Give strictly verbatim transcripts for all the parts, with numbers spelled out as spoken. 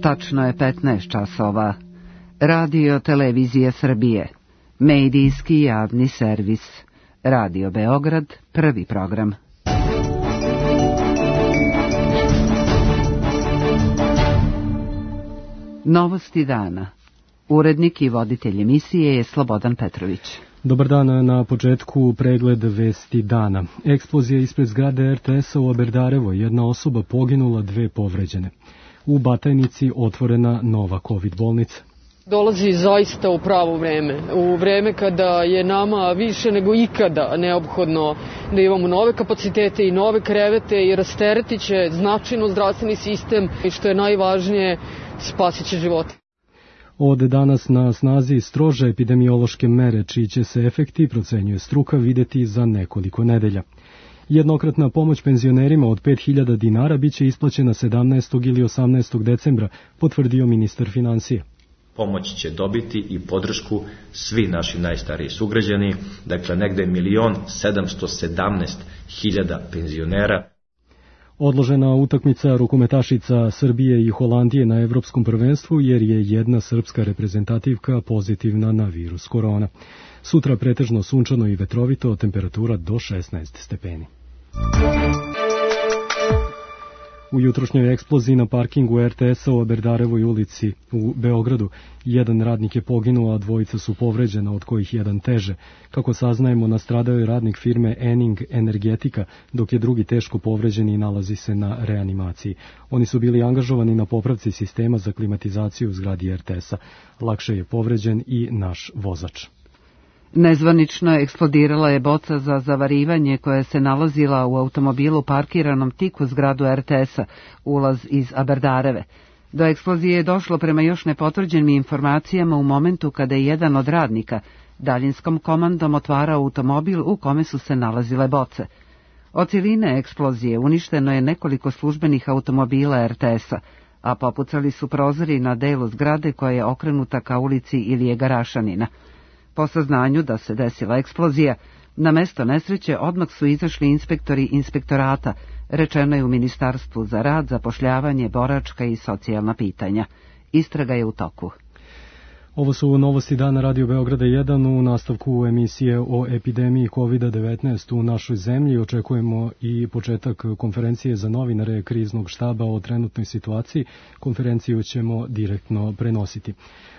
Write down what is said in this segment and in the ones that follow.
Tačno je petnaest časova. Radio Televizije Srbije. Medijski javni servis. Radio Beograd, prvi program. Novosti dana. Urednik i voditelj emisije je Slobodan Petrović. Dobar dan, na početku pregled vesti dana. Eksplozija ispred zgrade er te es-a u Aberdarevo, jedna osoba poginula, dve povređene. U Batajnici otvorena nova kovid bolnica. Dolazi zaista u pravo vreme, u vreme kada je nama više nego ikada neophodno da imamo nove kapacitete i nove krevete i rasteretit će značajno zdravstveni sistem i što je najvažnije, spasit će živote. Od danas na snazi strože epidemiološke mere, čiji će se efekti, procenjuje struka, videti za nekoliko nedelja. Jednokratna pomoć penzionerima od pet hiljada dinara biće isplaćena sedamnaestog ili osamnaestog decembra, potvrdio ministar finansija. Pomoć će dobiti i podršku svi naši najstariji sugrađani, dakle negde milion sedamsto sedamnaest hiljada penzionera. Odložena utakmica rukometašica Srbije i Holandije na evropskom prvenstvu jer je jedna srpska reprezentativka pozitivna na virus korona. Sutra pretežno sunčano i vetrovito, temperatura do šesnaest stepeni. U jutrošnjoj eksploziji na parkingu er te es-a u Aberdarevoj ulici u Beogradu jedan radnik je poginuo, a dvojica su povređena, od kojih jedan teže. Kako saznajemo, nastradao je radnik firme Ening Energetika, dok je drugi teško povređen i nalazi se na reanimaciji. Oni su bili angažovani na popravci sistema za klimatizaciju u zgradi er te es-a. Lakše je povređen i naš vozač. Nezvanično eksplodirala je boca za zavarivanje koja se nalazila u automobilu parkiranom tik uz zgradu er te es-a, ulaz iz Aberdareve. Do eksplozije je došlo prema još nepotvrđenim informacijama u momentu kada je jedan od radnika daljinskom komandom otvarao automobil u kome su se nalazile boce. Od cijeline eksplozije uništeno je nekoliko službenih automobila er te es-a, a popucali su prozori na delu zgrade koja je okrenuta ka ulici Ilije Garašanina. Po saznanju da se desila eksplozija, na mesto nesreće odmah su izašli inspektori inspektorata, rečeno je u Ministarstvu za rad, zapošljavanje, boračka i socijalna pitanja. Istraga je u toku. Ovo su novosti dana Radio Beograda jedan. U nastavku emisije o epidemiji kovid devetnaest u našoj zemlji očekujemo i početak konferencije za novinare kriznog štaba o trenutnoj situaciji. Konferenciju ćemo direktno prenositi.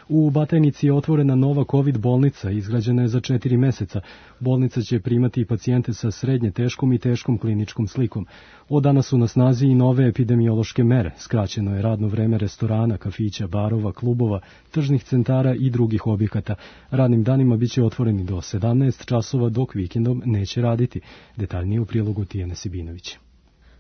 U Batajnici je otvorena nova kovid bolnica, izgrađena je za četiri meseca. Bolnica će primati i pacijente sa srednje teškom i teškom kliničkom slikom. Od danas su na snazi i nove epidemiološke mere. Skraćeno je radno vreme restorana, kafića, barova, klubova, tržnih centara i drugih objekata. Radnim danima biće otvoreni do sedamnaest časova, dok vikendom neće raditi. Detaljnije u prilogu Tijane Sibinović.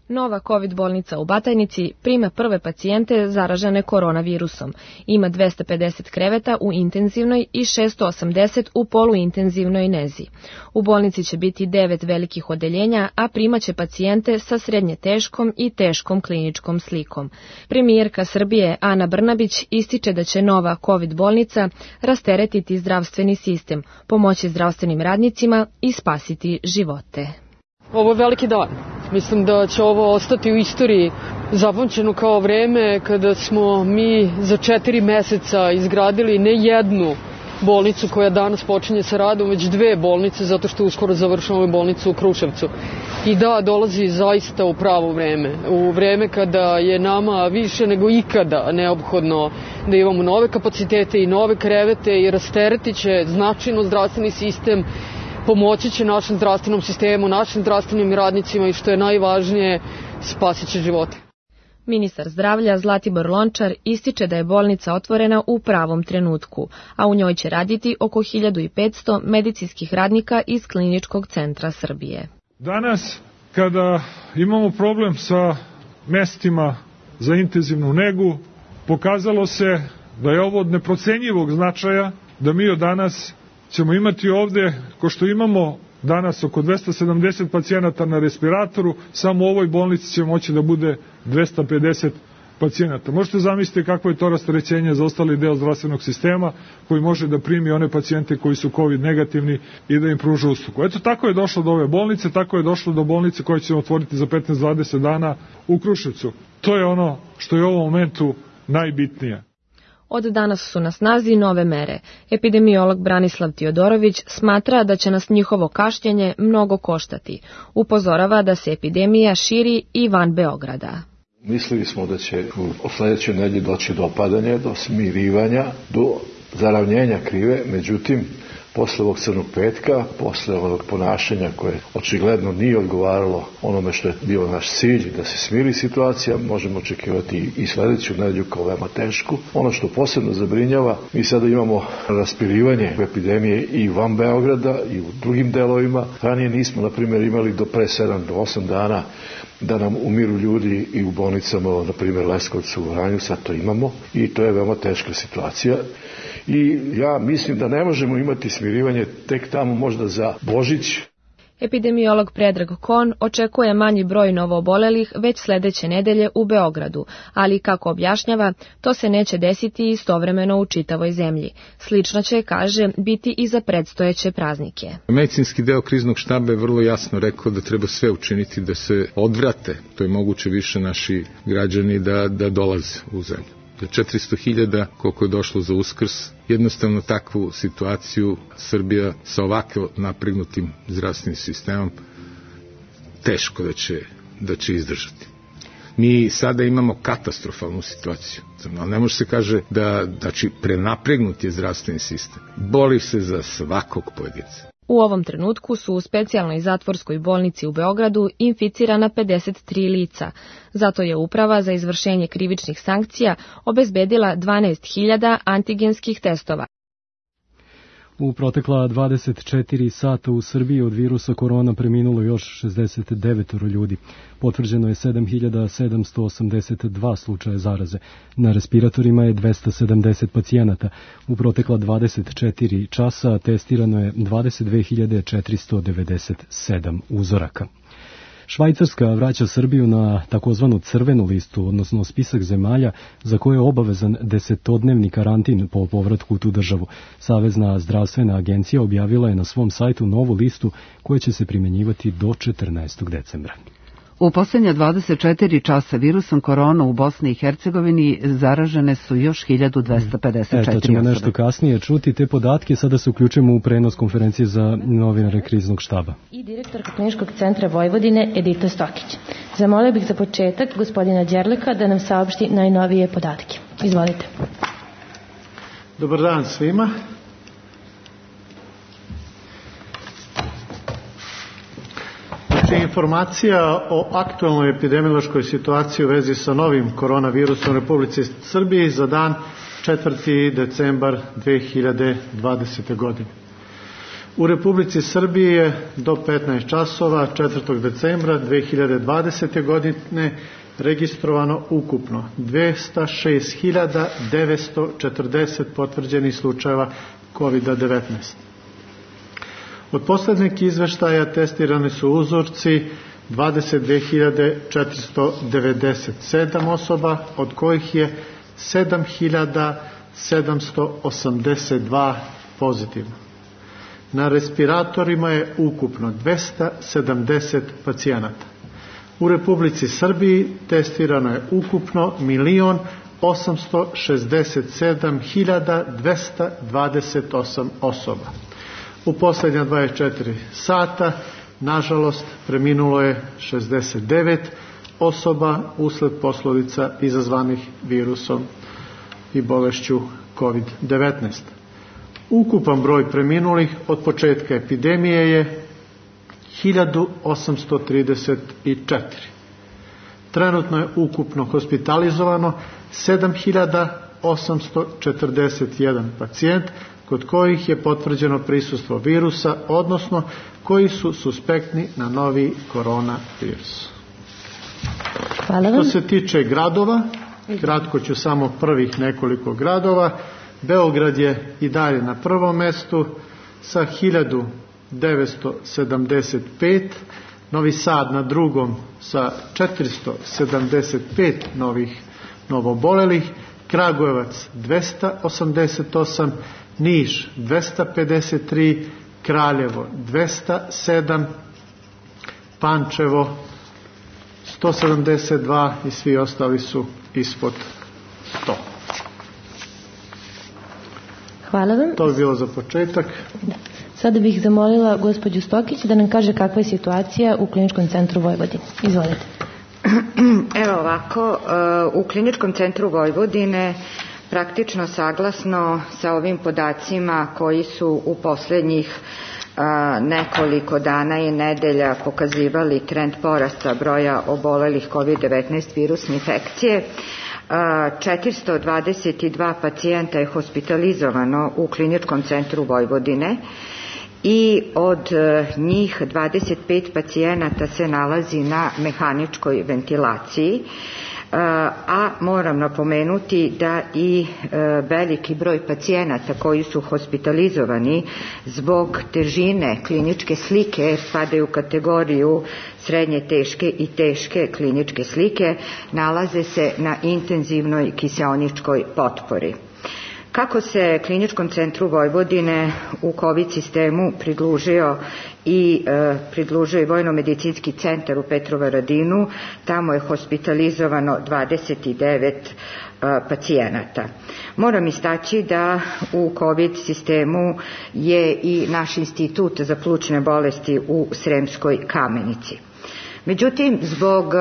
Nova kovid bolnica u Batajnici prima prve pacijente zaražene koronavirusom. Ima dvesta pedeset kreveta u intenzivnoj i šesto osamdeset u poluintenzivnoj nezi. U bolnici će biti devet velikih odeljenja, a primaće pacijente sa srednje teškom i teškom kliničkom slikom. Premijerka Srbije Ana Brnabić ističe da će nova kovid bolnica rasteretiti zdravstveni sistem, pomoći zdravstvenim radnicima i spasiti živote. Ovo je veliki dan. Mislim da će ovo ostati u istoriji zapamćeno kao vreme kada smo mi za četiri meseca izgradili ne jednu bolnicu koja danas počinje sa radom, već dve bolnice, zato što uskoro završavamo bolnicu u Kruševcu. I da, dolazi zaista u pravo vreme, u vreme kada je nama više nego ikada neophodno da imamo nove kapacitete i nove krevete i rasteretit će značajno zdravstveni sistem, pomoći će našem zdravstvenom sistemu, našim zdravstvenim radnicima i što je najvažnije, spasit će živote. Ministar zdravlja Zlatibor Lončar ističe da je bolnica otvorena u pravom trenutku, a u njoj će raditi oko hiljadu petsto medicinskih radnika iz Kliničkog centra Srbije. Danas, kada imamo problem sa mestima za intenzivnu negu, pokazalo se da je ovo od neprocenjivog značaja, da mi od danas ćemo imati ovde, ko što imamo danas oko dvesta sedamdeset pacijenata na respiratoru, samo u ovoj bolnici će moći da bude dvesta pedeset pacijenata. Možete zamisliti kakvo je to rasterećenje za ostali deo zdravstvenog sistema koji može da primi one pacijente koji su COVID negativni i da im pruža uslugu. Eto, tako je došlo do ove bolnice, tako je došlo do bolnice koje ćemo otvoriti za petnaest do dvadeset dana u Kruševcu. To je ono što je u ovom momentu najbitnija. Od danas su na snazi nove mere. Epidemiolog Branislav Tiodorović smatra da će nas njihovo kašnjenje mnogo koštati. Upozorava da se epidemija širi i van Beograda. Mislili smo da će u sledećoj nedelji doći do opadanja, do smirivanja, do zaravnjenja krive, međutim, posle ovog crnog petka, posle ovog ponašanja koje očigledno nije odgovaralo onome što je bio naš cilj, da se smiri situacija, možemo očekivati i sledeću nedelju kao veoma tešku. Ono što posebno zabrinjava, mi sada imamo raspirivanje epidemije i van Beograda i u drugim delovima. Ranije nismo, na primjer, imali do pre sedam do osam dana da nam umiru ljudi i u bolnicama, na primjer Leskovcu, u Vranju, sad to imamo i to je veoma teška situacija. I ja mislim da ne možemo imati smirivanje tek tamo možda za Božić. Epidemiolog Predrag Kon očekuje manji broj novoobolelih već sledeće nedelje u Beogradu, ali kako objašnjava, to se neće desiti istovremeno u čitavoj zemlji. Slično će, kaže, biti i za predstojeće praznike. Medicinski deo kriznog štaba je vrlo jasno rekao da treba sve učiniti da se odvrate, to je moguće više naši građani da, da dolaze u zemlju. Da četiristo hiljada, koliko je došlo za Uskrs, jednostavno takvu situaciju Srbija sa ovako napregnutim zdravstvenim sistemom teško da će, da će izdržati. Mi sada imamo katastrofalnu situaciju. Ali ne može se kaže da, da će prenapregnut je zdravstveni sistem. Boli se za svakog pojedinca. U ovom trenutku su u specijalnoj zatvorskoj bolnici u Beogradu inficirana pedeset tri lica. Zato je Uprava za izvršenje krivičnih sankcija obezbedila dvanaest hiljada antigenskih testova. U protekla dvadeset četiri sata u Srbiji od virusa korona preminulo još šezdeset devet ljudi. Potvrđeno je sedam hiljada sedamsto osamdeset dva slučaja zaraze. Na respiratorima je dvesta sedamdeset pacijenata. U protekla dvadeset četiri časa testirano je dvadeset dve hiljade četiristo devedeset sedam uzoraka. Švajcarska vraća Srbiju na takozvanu crvenu listu, odnosno spisak zemalja za koje je obavezan desetodnevni karantin po povratku u tu državu. Savezna zdravstvena agencija objavila je na svom sajtu novu listu koja će se primjenjivati do četrnaestog decembra. U posljednja dvadeset četiri časa virusom korona u Bosni i Hercegovini zaražene su još hiljadu dvesta pedeset četiri osobe. E, to ćemo nešto kasnije čuti te podatke. Sada se uključujemo u prenos konferencije za novinare kriznog štaba. I direktorka Kliničkog centra Vojvodine Edita Stokić. Zamolio bih za početak gospodina Đerleka da nam saopšti najnovije podatke. Izvolite. Dobar dan svima. Informacija o aktualnoj epidemiološkoj situaciji u vezi sa novim koronavirusom u Republici Srbiji za dan četvrti decembar dve hiljade dvadesete. godine. U Republici Srbiji je do petnaest časova četvrtog decembra dve hiljade dvadesete. godine registrovano ukupno dvesta šest hiljada devetsto četrdeset potvrđenih slučajeva kovid devetnaest. Od poslednjeg izveštaja testirani su uzorci dvadeset dve hiljade četiristo devedeset sedam osoba, od kojih je sedam hiljada sedamsto osamdeset dva pozitivno. Na respiratorima je ukupno dvesta sedamdeset pacijenata. U Republici Srbiji testirano je ukupno milion osamsto šezdeset sedam hiljada dvesta dvadeset osam osoba. U posljednja dvadeset četiri sata, nažalost, preminulo je šezdeset devet osoba usled posledica izazvanih virusom i bolešću kovid devetnaest. Ukupan broj preminulih od početka epidemije je hiljadu osamsto trideset četiri. Trenutno je ukupno hospitalizovano sedam hiljada osamsto četrdeset jedan pacijent, kod kojih je potvrđeno prisustvo virusa, odnosno koji su suspektni na novi koronavirus. Hvala vam. Što se tiče gradova, kratko ću samo prvih nekoliko gradova. Beograd je i dalje na prvom mestu sa hiljadu devetsto sedamdeset pet, Novi Sad na drugom sa četiristo sedamdeset pet novih novobolelih, Kragujevac dvesta osamdeset osam, Niš dvesta pedeset tri, Kraljevo dvesta sedam, Pančevo sto sedamdeset dva i svi ostali su ispod to. Hvala vam. To bi bilo za početak. Da. Sada bih zamolila gospođu Stokić da nam kaže kakva je situacija u Kliničkom centru Vojvodine. Izvolite. Evo ovako, u Kliničkom centru Vojvodine praktično saglasno sa ovim podacima koji su u poslednjih nekoliko dana i nedelja pokazivali trend porasta broja obolelih kovid devetnaest virusne infekcije, četiristo dvadeset dva pacijenta je hospitalizovano u Kliničkom centru Vojvodine i od njih dvadeset pet pacijenata se nalazi na mehaničkoj ventilaciji, a moram napomenuti da i veliki broj pacijenata koji su hospitalizovani zbog težine kliničke slike spadaju u kategoriju srednje teške i teške kliničke slike, nalaze se na intenzivnoj kiseoničkoj potpori. Kako se Kliničkom centru Vojvodine u COVID sistemu pridružio i e, pridružio i Vojno-medicinski centar u Petrovaradinu, tamo je hospitalizovano dvadeset devet e, pacijenata. Moram istaći da u COVID sistemu je i naš institut za plućne bolesti u Sremskoj Kamenici. Međutim, zbog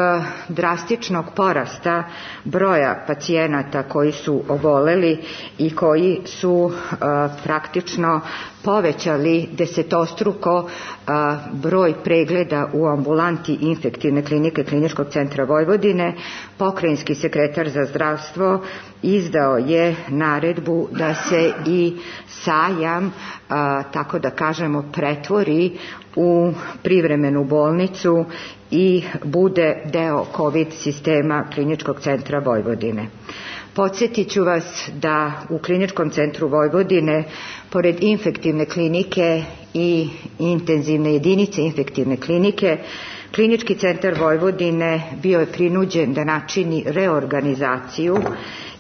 drastičnog porasta broja pacijenata koji su oboleli i koji su a, praktično povećali desetostruko a, broj pregleda u ambulanti infektivne klinike Kliničkog centra Vojvodine, pokrajinski sekretar za zdravstvo izdao je naredbu da se i sajam, a, tako da kažemo, pretvori u privremenu bolnicu i bude deo COVID sistema Kliničkog centra Vojvodine. Podsjetit ću vas da u Kliničkom centru Vojvodine, pored infektivne klinike i intenzivne jedinice infektivne klinike, Klinički centar Vojvodine bio je prinuđen da načini reorganizaciju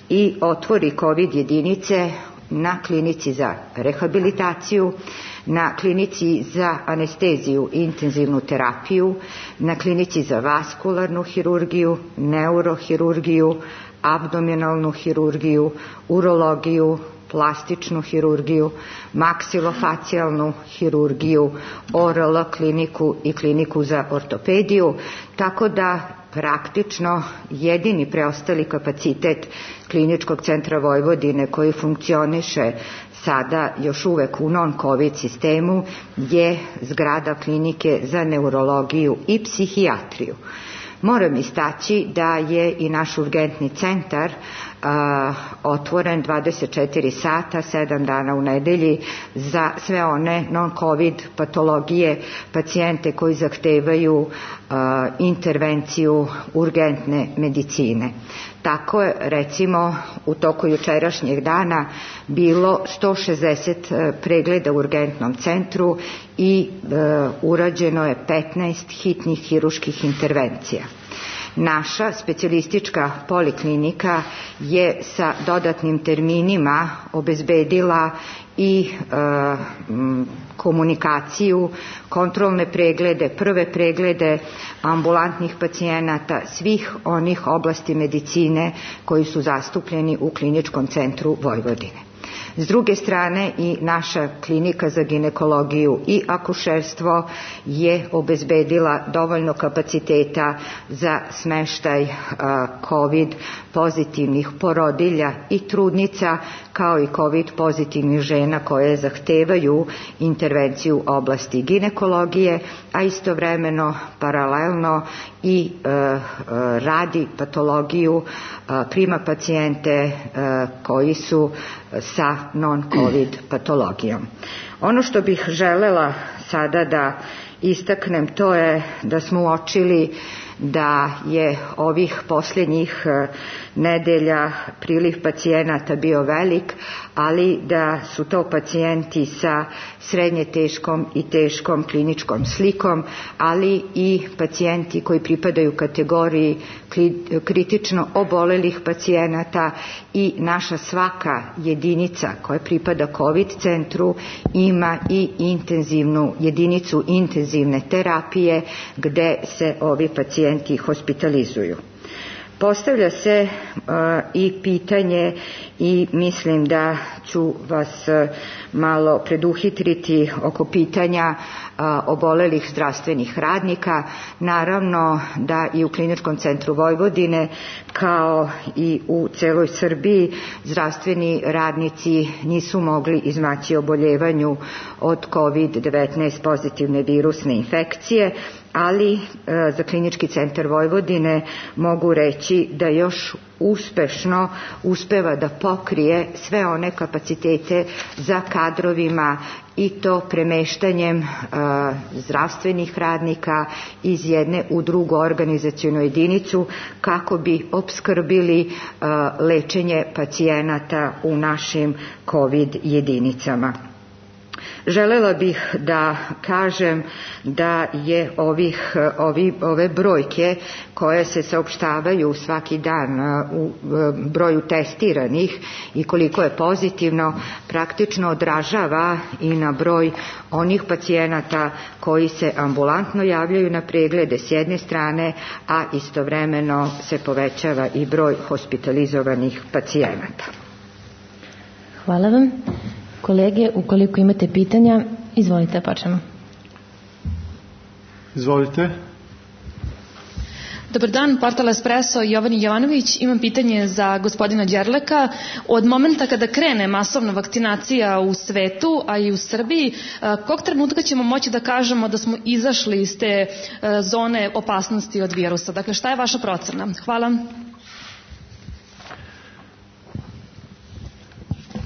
i otvori COVID jedinice na klinici za rehabilitaciju, na klinici za anesteziju i intenzivnu terapiju, na klinici za vaskularnu hirurgiju, neurohirurgiju, abdominalnu hirurgiju, urologiju, plastičnu hirurgiju, maksilofacijalnu hirurgiju, O R L kliniku i kliniku za ortopediju, tako da praktično jedini preostali kapacitet Kliničkog centra Vojvodine koji funkcioniše sada još uvek u non-COVID sistemu je zgrada klinike za neurologiju i psihijatriju. Moram istaći da je i naš urgentni centar a, otvoren dvadeset četiri sata, sedam dana u nedelji za sve one non-COVID patologije, pacijente koji zahtevaju a, intervenciju urgentne medicine. Tako je, recimo, u toku jučerašnjeg dana bilo sto šezdeset pregleda u urgentnom centru i e, urađeno je petnaest hitnih hiruških intervencija. Naša specijalistička poliklinika je sa dodatnim terminima obezbedila i e, m, komunikaciju, kontrolne preglede, prve preglede ambulantnih pacijenata svih onih oblasti medicine koji su zastupljeni u Kliničkom centru Vojvodine. S druge strane i naša klinika za ginekologiju i akušerstvo je obezbedila dovoljno kapaciteta za smeštaj COVID pozitivnih porodilja i trudnica, kao i COVID pozitivnih žena koje zahtevaju intervenciju u oblasti ginekologije, a istovremeno paralelno i e, e, radi patologiju, e, prima pacijente e, koji su sa non-COVID patologijom. Ono što bih želela sada da istaknem, to je da smo uočili da je ovih posljednjih nedelja priliv pacijenata bio velik, ali da su to pacijenti sa srednje teškom i teškom kliničkom slikom, ali i pacijenti koji pripadaju kategoriji kritično obolelih pacijenata i naša svaka jedinica koja pripada COVID centru ima i intenzivnu jedinicu intenzivne terapije gde se ovi pacijenti hospitalizuju. Postavlja se uh, i pitanje i mislim da ću vas uh, malo preduhitriti oko pitanja uh, obolelih zdravstvenih radnika. Naravno da i u Kliničkom centru Vojvodine kao i u celoj Srbiji zdravstveni radnici nisu mogli izmaći oboljevanju od kovid devetnaest pozitivne virusne infekcije, ali e, za Klinički centar Vojvodine mogu reći da još uspešno uspeva da pokrije sve one kapacitete za kadrovima i to premeštanjem e, zdravstvenih radnika iz jedne u drugu organizacionu jedinicu kako bi opskrbili e, lečenje pacijenata u našim COVID jedinicama. Želela bih da kažem da je ovih, ovi, ove brojke koje se saopštavaju svaki dan u broju testiranih i koliko je pozitivno praktično odražava i na broj onih pacijenata koji se ambulantno javljaju na preglede s jedne strane, a istovremeno se povećava i broj hospitalizovanih pacijenata. Hvala vam. Kolege, ukoliko imate pitanja, izvolite, počnemo. Izvolite. Dobar dan, portal Espresso, Jovani Jovanović. Imam pitanje za gospodina Đerleka. Od momenta kada krene masovna vakcinacija u svetu, a i u Srbiji, kog trenutka ćemo moći da kažemo da smo izašli iz te zone opasnosti od virusa? Dakle, šta je vaša procena? Hvala.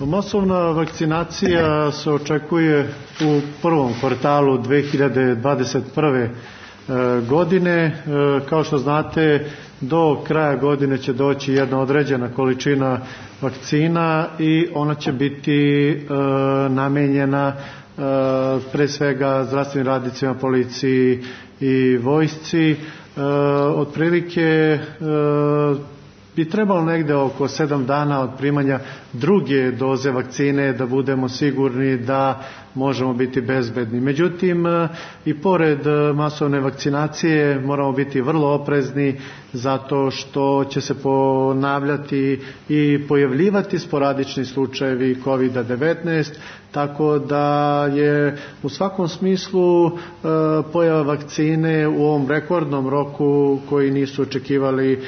Masovna vakcinacija se očekuje u prvom kvartalu dve hiljade dvadeset prve godine. Kao što znate, do kraja godine će doći jedna određena količina vakcina i ona će biti namenjena pre svega zdravstvenim radnicima, policiji i vojsci. Otprilike bi trebalo negde oko sedam dana od primanja druge doze vakcine da budemo sigurni da možemo biti bezbedni. Međutim, i pored masovne vakcinacije moramo biti vrlo oprezni zato što će se ponavljati i pojavljivati sporadični slučajevi kovid devetnaest, tako da je u svakom smislu e, pojava vakcine u ovom rekordnom roku koji nisu očekivali e,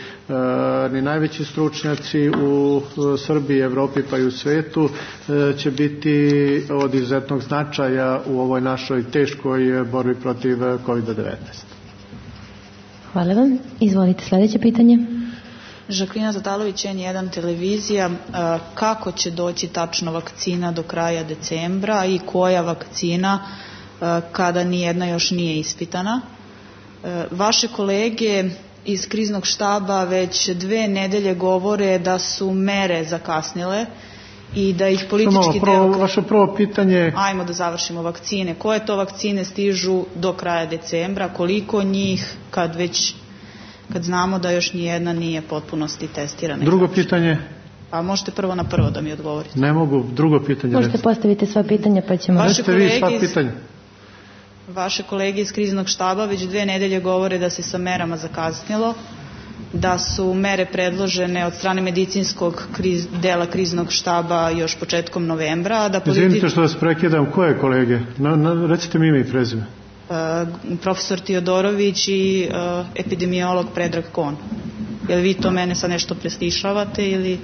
ni najveći stručnjaci u Srbiji, Evropi pa i u svetu, e, će biti od izuzetnog značaja u ovoj našoj teškoj borbi protiv kovid devetnaest. Hvala vam. Izvolite sledeće pitanje. Žaklina Tatalović, en jedan televizija. Kako će doći tačno vakcina do kraja decembra i koja vakcina kada nijedna još nije ispitana? Vaše kolege iz kriznog štaba već dve nedelje govore da su mere zakasnile i da ih politički prvo, deo... Vaše prvo pitanje... Ajmo da završimo vakcine. Koje to vakcine stižu do kraja decembra? Koliko njih kad već... kad znamo da još nijedna nije potpunosti testirana? Drugo pitanje? A možete prvo na prvo da mi odgovorite. Ne mogu, drugo pitanje. Možete recimo postaviti sva pitanja pa ćemo... Vaše kolege, sva pitanja. Vaše kolege iz kriznog štaba već dve nedelje govore da se sa merama zakasnilo, da su mere predložene od strane medicinskog kriz, dela kriznog štaba još početkom novembra. Da politi... Izvinite što vas prekidam, koje kolege? Na, na, recite mi ime i prezime. Uh, profesor Tiodorović i uh, epidemiolog Predrag Kon. Jel vi to mene sad nešto prestišavate ili...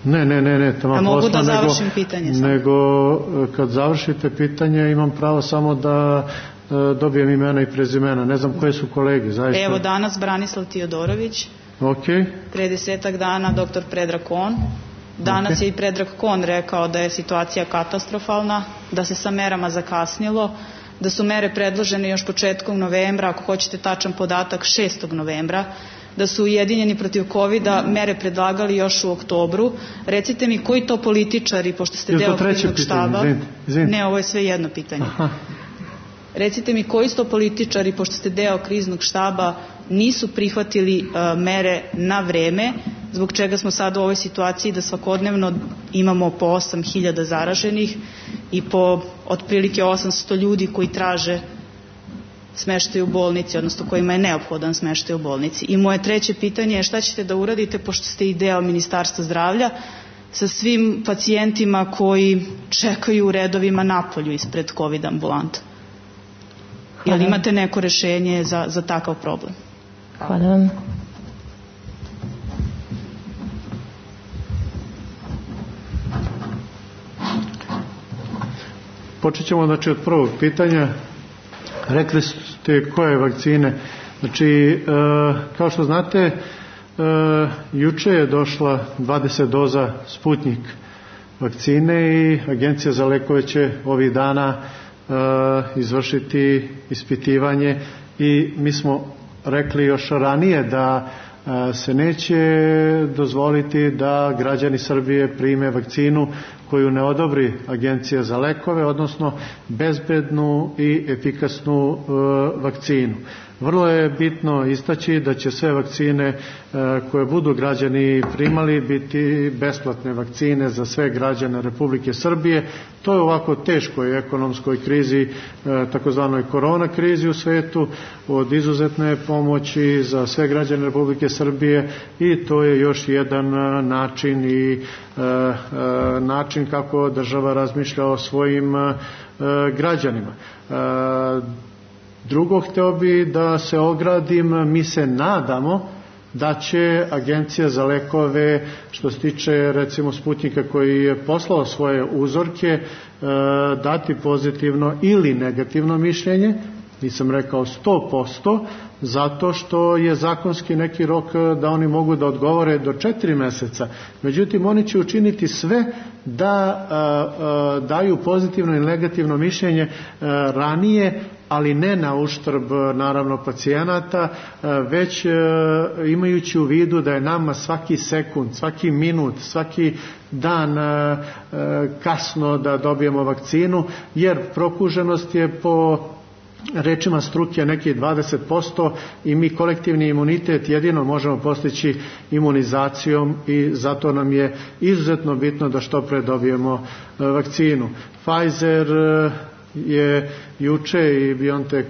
Ne, ne, ne, ne. A mogu da završim nego, pitanje sam. Nego kad završite pitanje imam pravo samo da uh, dobijem imena i prezimena. Ne znam koje su kolege, zaista. Evo danas Branislav Tiodorović. Ok. Pre desetak dana doktor Predrag Kon. Danas okay. je i Predrag Kon rekao da je situacija katastrofalna, da se sa merama zakasnilo, da su mere predložene još početkom novembra, ako hoćete tačan podatak šestog novembra, da su Ujedinjeni protiv kovida mere predlagali još u oktobru. Recite mi koji to političari, pošto ste deo kriznog štaba... Izvinite, izvinite. Ne, ovo je sve jedno pitanje. Aha. Recite mi koji to političari, pošto ste deo kriznog štaba, nisu prihvatili uh, mere na vreme, zbog čega smo sad u ovoj situaciji da svakodnevno imamo po osam hiljada zaraženih i po otprilike osamsto ljudi koji traže smeštaj u bolnici, odnosno kojima je neophodan smeštaj u bolnici. I moje treće pitanje je šta ćete da uradite, pošto ste i deo Ministarstva zdravlja, sa svim pacijentima koji čekaju u redovima napolju ispred COVID ambulanta. Jel imate neko rešenje za, za takav problem? Hvala vam. Počet ćemo znači, od prvog pitanja. Rekli ste koje vakcine. Znači, e, kao što znate, e, juče je došla dvadeset doza Sputnik vakcine i Agencija za lekove će ovih dana e, izvršiti ispitivanje i mi smo rekli još ranije da se neće dozvoliti da građani Srbije prime vakcinu koju ne odobri Agencija za lekove, odnosno bezbednu i efikasnu e, vakcinu. Vrlo je bitno istaći da će sve vakcine e, koje budu građani primali biti besplatne vakcine za sve građane Republike Srbije. To je ovako teškoj ekonomskoj krizi, e, takozvanoj korona krizi u svetu, od izuzetne pomoći za sve građane Republike Srbije i to je još jedan način i e, e, način kako država razmišlja o svojim e, građanima. E, drugo, hteo bi da se ogradim, mi se nadamo da će Agencija za lekove, što se tiče recimo Sputnika koji je poslao svoje uzorke, e, dati pozitivno ili negativno mišljenje, nisam rekao sto posto, zato što je zakonski neki rok da oni mogu da odgovore do četiri meseca. Međutim, oni će učiniti sve da a, a, daju pozitivno i negativno mišljenje a, ranije, ali ne na uštrb naravno pacijenata, već imajući u vidu da je nama svaki sekund, svaki minut, svaki dan kasno da dobijemo vakcinu, jer prokuženost je po rečima struke nekih dvadeset posto i mi kolektivni imunitet jedino možemo postići imunizacijom i zato nam je izuzetno bitno da što pre dobijemo vakcinu. Pfizer je juče i BioNTech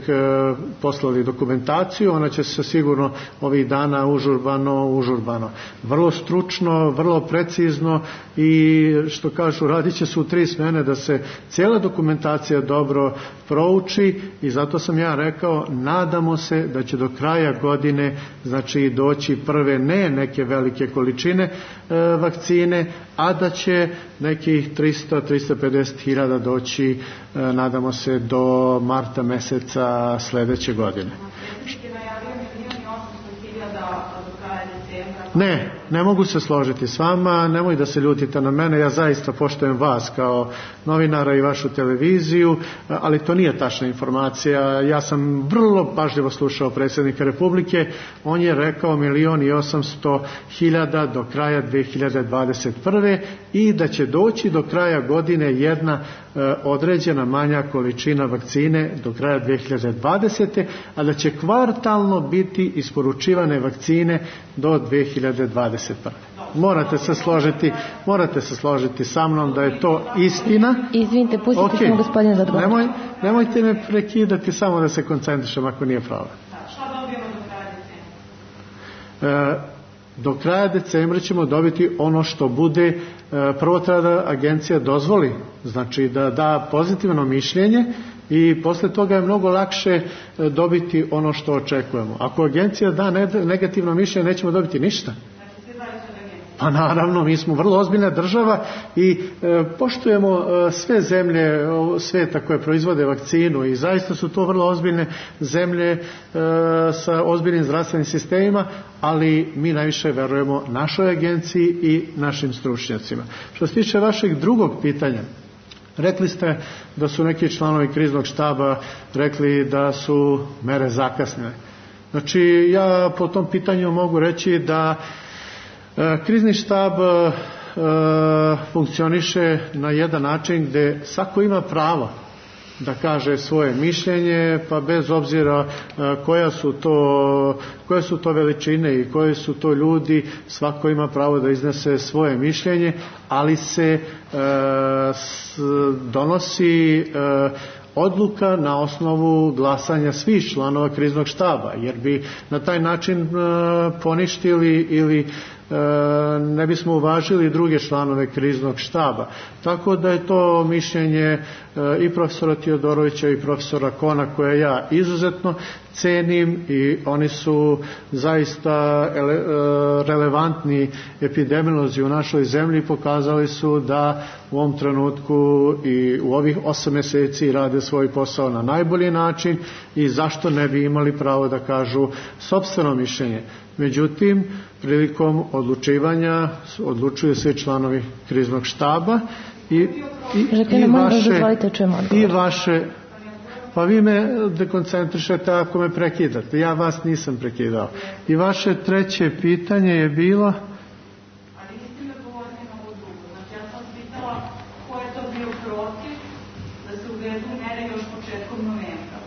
poslali dokumentaciju, ona će se sigurno ovih dana užurbano, užurbano. Vrlo stručno, vrlo precizno i što kažu, radit će se u tri smene da se cijela dokumentacija dobro prouči i zato sam ja rekao, nadamo se da će do kraja godine znači doći prve ne neke velike količine e, vakcine, a da će nekih trista do trista pedeset hiljada doći, e, nadamo se, do marta meseca sledeće godine. Ne, ne mogu se složiti s vama, nemoj da se ljutite na mene, ja zaista poštujem vas kao novinara i vašu televiziju, ali to nije tačna informacija. Ja sam vrlo pažljivo slušao predsjednika Republike, on je rekao milion i osamsto hiljada do kraja dve hiljade dvadeset prve i da će doći do kraja godine jedna e, određena manja količina vakcine do kraja dve hiljade dvadesete, a da će kvartalno biti isporučivane vakcine do dve hiljade dvadeset prve. Morate se složiti, morate se složiti sa mnom da je to istina. Izvinite, pustite okay. Samo gospodine da odgovor. Nemoj, nemojte me prekidati, samo da se koncentrišem ako nije problem. Šta dobijemo do kraja decembra? E, do kraja decembra ćemo dobiti ono što bude, e, prvo treba da agencija dozvoli, znači da da pozitivno mišljenje i posle toga je mnogo lakše dobiti ono što očekujemo. Ako agencija da negativno mišljenje, nećemo dobiti ništa. Pa naravno, mi smo vrlo ozbiljna država i e, poštujemo e, sve zemlje sveta koje proizvode vakcinu i zaista su to vrlo ozbiljne zemlje e, sa ozbiljnim zdravstvenim sistemima, ali mi najviše verujemo našoj agenciji i našim stručnjacima. Što se tiče vašeg drugog pitanja, rekli ste da su neki članovi kriznog štaba rekli da su mere zakasnile. Znači, ja po tom pitanju mogu reći da krizni štab e, funkcioniše na jedan način gde svako ima pravo da kaže svoje mišljenje, pa bez obzira e, koja su to, koje su to veličine i koji su to ljudi, svako ima pravo da iznese svoje mišljenje, ali se e, s, donosi e, odluka na osnovu glasanja svih članova kriznog štaba, jer bi na taj način poništili ili ne bismo uvažili druge članove kriznog štaba. Tako da je to mišljenje i profesora Teodorovića i profesora Kona, koje ja izuzetno cenim, i oni su zaista relevantni epidemiolozi u našoj zemlji. Pokazali su da u ovom trenutku i u ovih osam meseci rade svoj posao na najbolji način i zašto ne bi imali pravo da kažu sopstveno mišljenje. Međutim, prilikom odlučivanja odlučuju svi članovi kriznog štaba i, i, i vaše i vaše pa vi me dekoncentrišete ako me prekidate. Ja vas nisam prekidao. I vaše treće pitanje je bilo... Ali niste me govorili na ovo drugo. Znači, ja sam pitala ko je to bio protiv da se uvedu mere još početkom novembra.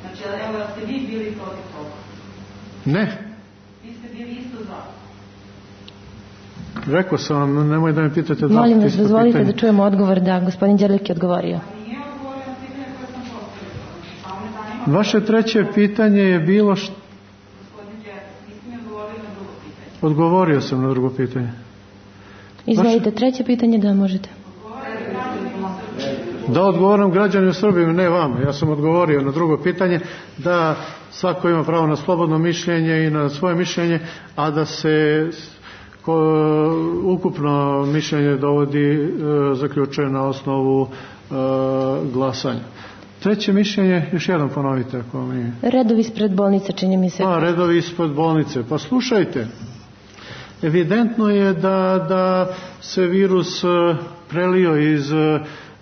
Znači, evo, ste vi bili protiv toga? Ne. Vi ste bili isto za. Rekao sam vam, nemoj da me pitate da... Molim vas, dozvolite da čujemo odgovor da gospodin Đerlek je odgovorio. Vaše treće pitanje je bilo što... Odgovorio sam na drugo pitanje. Izvolite, treće pitanje, da možete. Da odgovoram građanima Srbije, ne vama. Ja sam odgovorio na drugo pitanje, da svako ima pravo na slobodno mišljenje i na svoje mišljenje, a da se ko, ukupno mišljenje dovodi, e, zaključuje na osnovu e, glasanja. Treće mišljenje, još jednom ponovite ako mi... Redovi ispred bolnice, čini mi se. A, redovi ispred bolnice. Pa slušajte, evidentno je da, da se virus prelio iz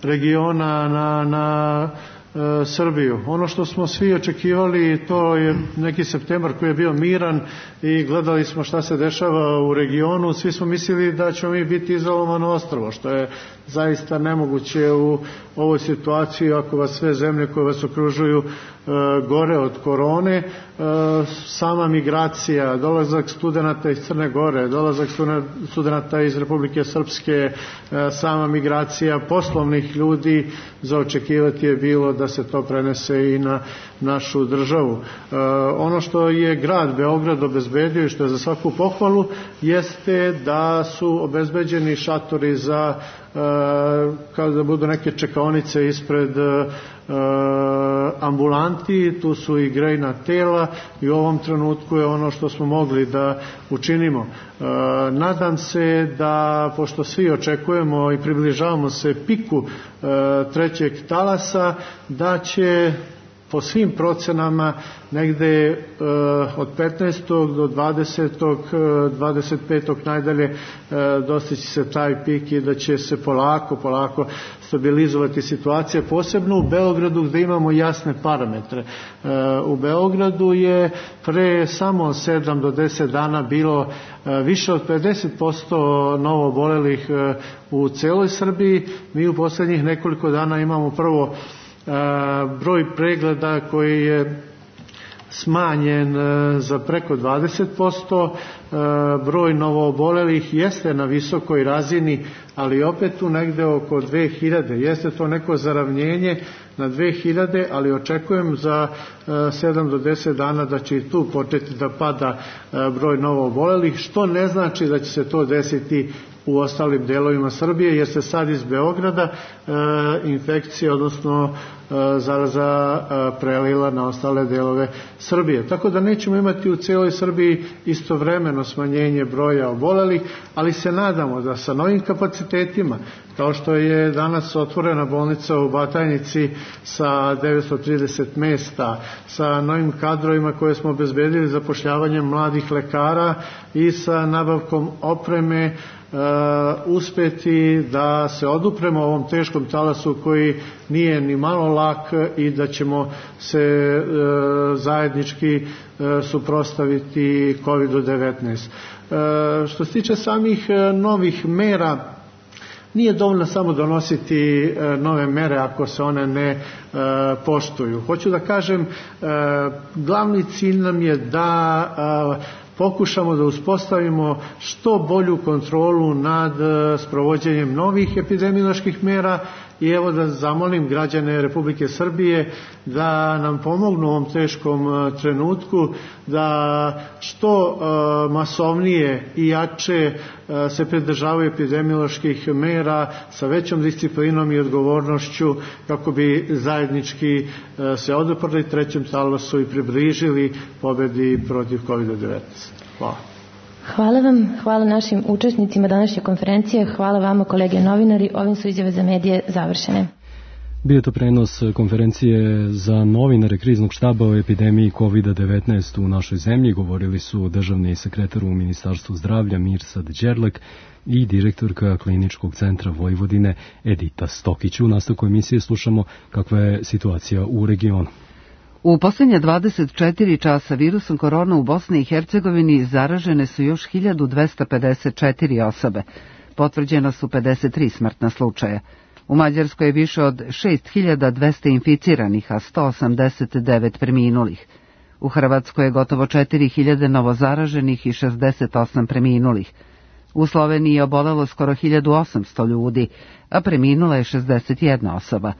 regiona na, na e, Srbiju. Ono što smo svi očekivali, to je neki septembar koji je bio miran i gledali smo šta se dešava u regionu. Svi smo mislili da ćemo mi biti izolovano ostrvo, što je zaista nemoguće u ovoj situaciji ako vas sve zemlje koje vas okružuju e, gore od korone. E, sama migracija, dolazak studenata iz Crne Gore, dolazak studenata iz Republike Srpske, e, sama migracija poslovnih ljudi, za očekivati je bilo da se to prenese i na našu državu. E, ono što je grad Beograd obezbedio i što je za svaku pohvalu jeste da su obezbeđeni šatori za kao da budu neke čekaonice ispred uh, ambulanti, tu su i grejna tela i u ovom trenutku je ono što smo mogli da učinimo. Uh, nadam se da, pošto svi očekujemo i približavamo se piku uh, trećeg talasa, da će po svim procenama negde e, od petnaestog do dvadesetog, dvadeset petog najdalje e, dostići se taj pik i da će se polako, polako stabilizovati situacija, posebno u Beogradu gde imamo jasne parametre. E, u Beogradu je pre samo sedam do deset dana bilo e, više od pedeset posto novo obolelih e, u celoj Srbiji. Mi u poslednjih nekoliko dana imamo prvo broj pregleda koji je smanjen za preko dvadeset posto, broj novoobolelih jeste na visokoj razini, ali opet tu negde oko dve hiljade. Jeste to neko zaravnjenje na dve hiljade, ali očekujem za sedam do deset dana da će i tu početi da pada broj novoobolelih, što ne znači da će se to desiti u ostalim delovima Srbije, jer se sad iz Beograda e, infekcija, odnosno e, zaraza e, prelila na ostale delove Srbije. Tako da nećemo imati u cijeloj Srbiji istovremeno smanjenje broja obolelih, ali se nadamo da sa novim kapacitetima, kao što je danas otvorena bolnica u Batajnici sa devetsto trideset mesta, sa novim kadrovima koje smo obezbedili zapošljavanjem mladih lekara i sa nabavkom opreme, Uh, uspeti da se odupremo ovom teškom talasu koji nije ni malo lak i da ćemo se uh, zajednički uh, suprotstaviti kovid devetnaest. Uh, što se tiče samih uh, novih mera, nije dovoljno samo donositi uh, nove mere ako se one ne uh, poštuju. Hoću da kažem, uh, glavni cilj nam je da uh, pokušamo da uspostavimo što bolju kontrolu nad sprovođenjem novih epidemioloških mera i evo da zamolim građane Republike Srbije da nam pomognu u ovom teškom trenutku, da što masovnije i jače se pridržavaju epidemioloških mera sa većom disciplinom i odgovornošću kako bi zajednički se oduprli trećem talosu i približili pobedi protiv kovid devetnaest. Hvala. Hvala vam, hvala našim učesnicima današnje konferencije, hvala vama kolege novinari, ovim su izjave za medije završene. Bio to prenos konferencije za novinare kriznog štaba o epidemiji kovid devetnaest u našoj zemlji. Govorili su državni sekretar u Ministarstvu zdravlja Mirsad Đerlek i direktorka Kliničkog centra Vojvodine Edita Stokić. U nastavku emisije slušamo kakva je situacija u regionu. U posljednje dvadeset četiri časa virusom korona u Bosni i Hercegovini zaražene su još hiljadu dvesta pedeset četiri osobe. Potvrđena su pedeset tri smrtna slučaja. U Mađarskoj je više od šest hiljada dvesta inficiranih, a sto osamdeset devet preminulih. U Hrvatskoj je gotovo četiri hiljade novozaraženih i šezdeset osam preminulih. U Sloveniji je obolelo skoro hiljadu osamsto ljudi, a preminula je šezdeset jedna osoba.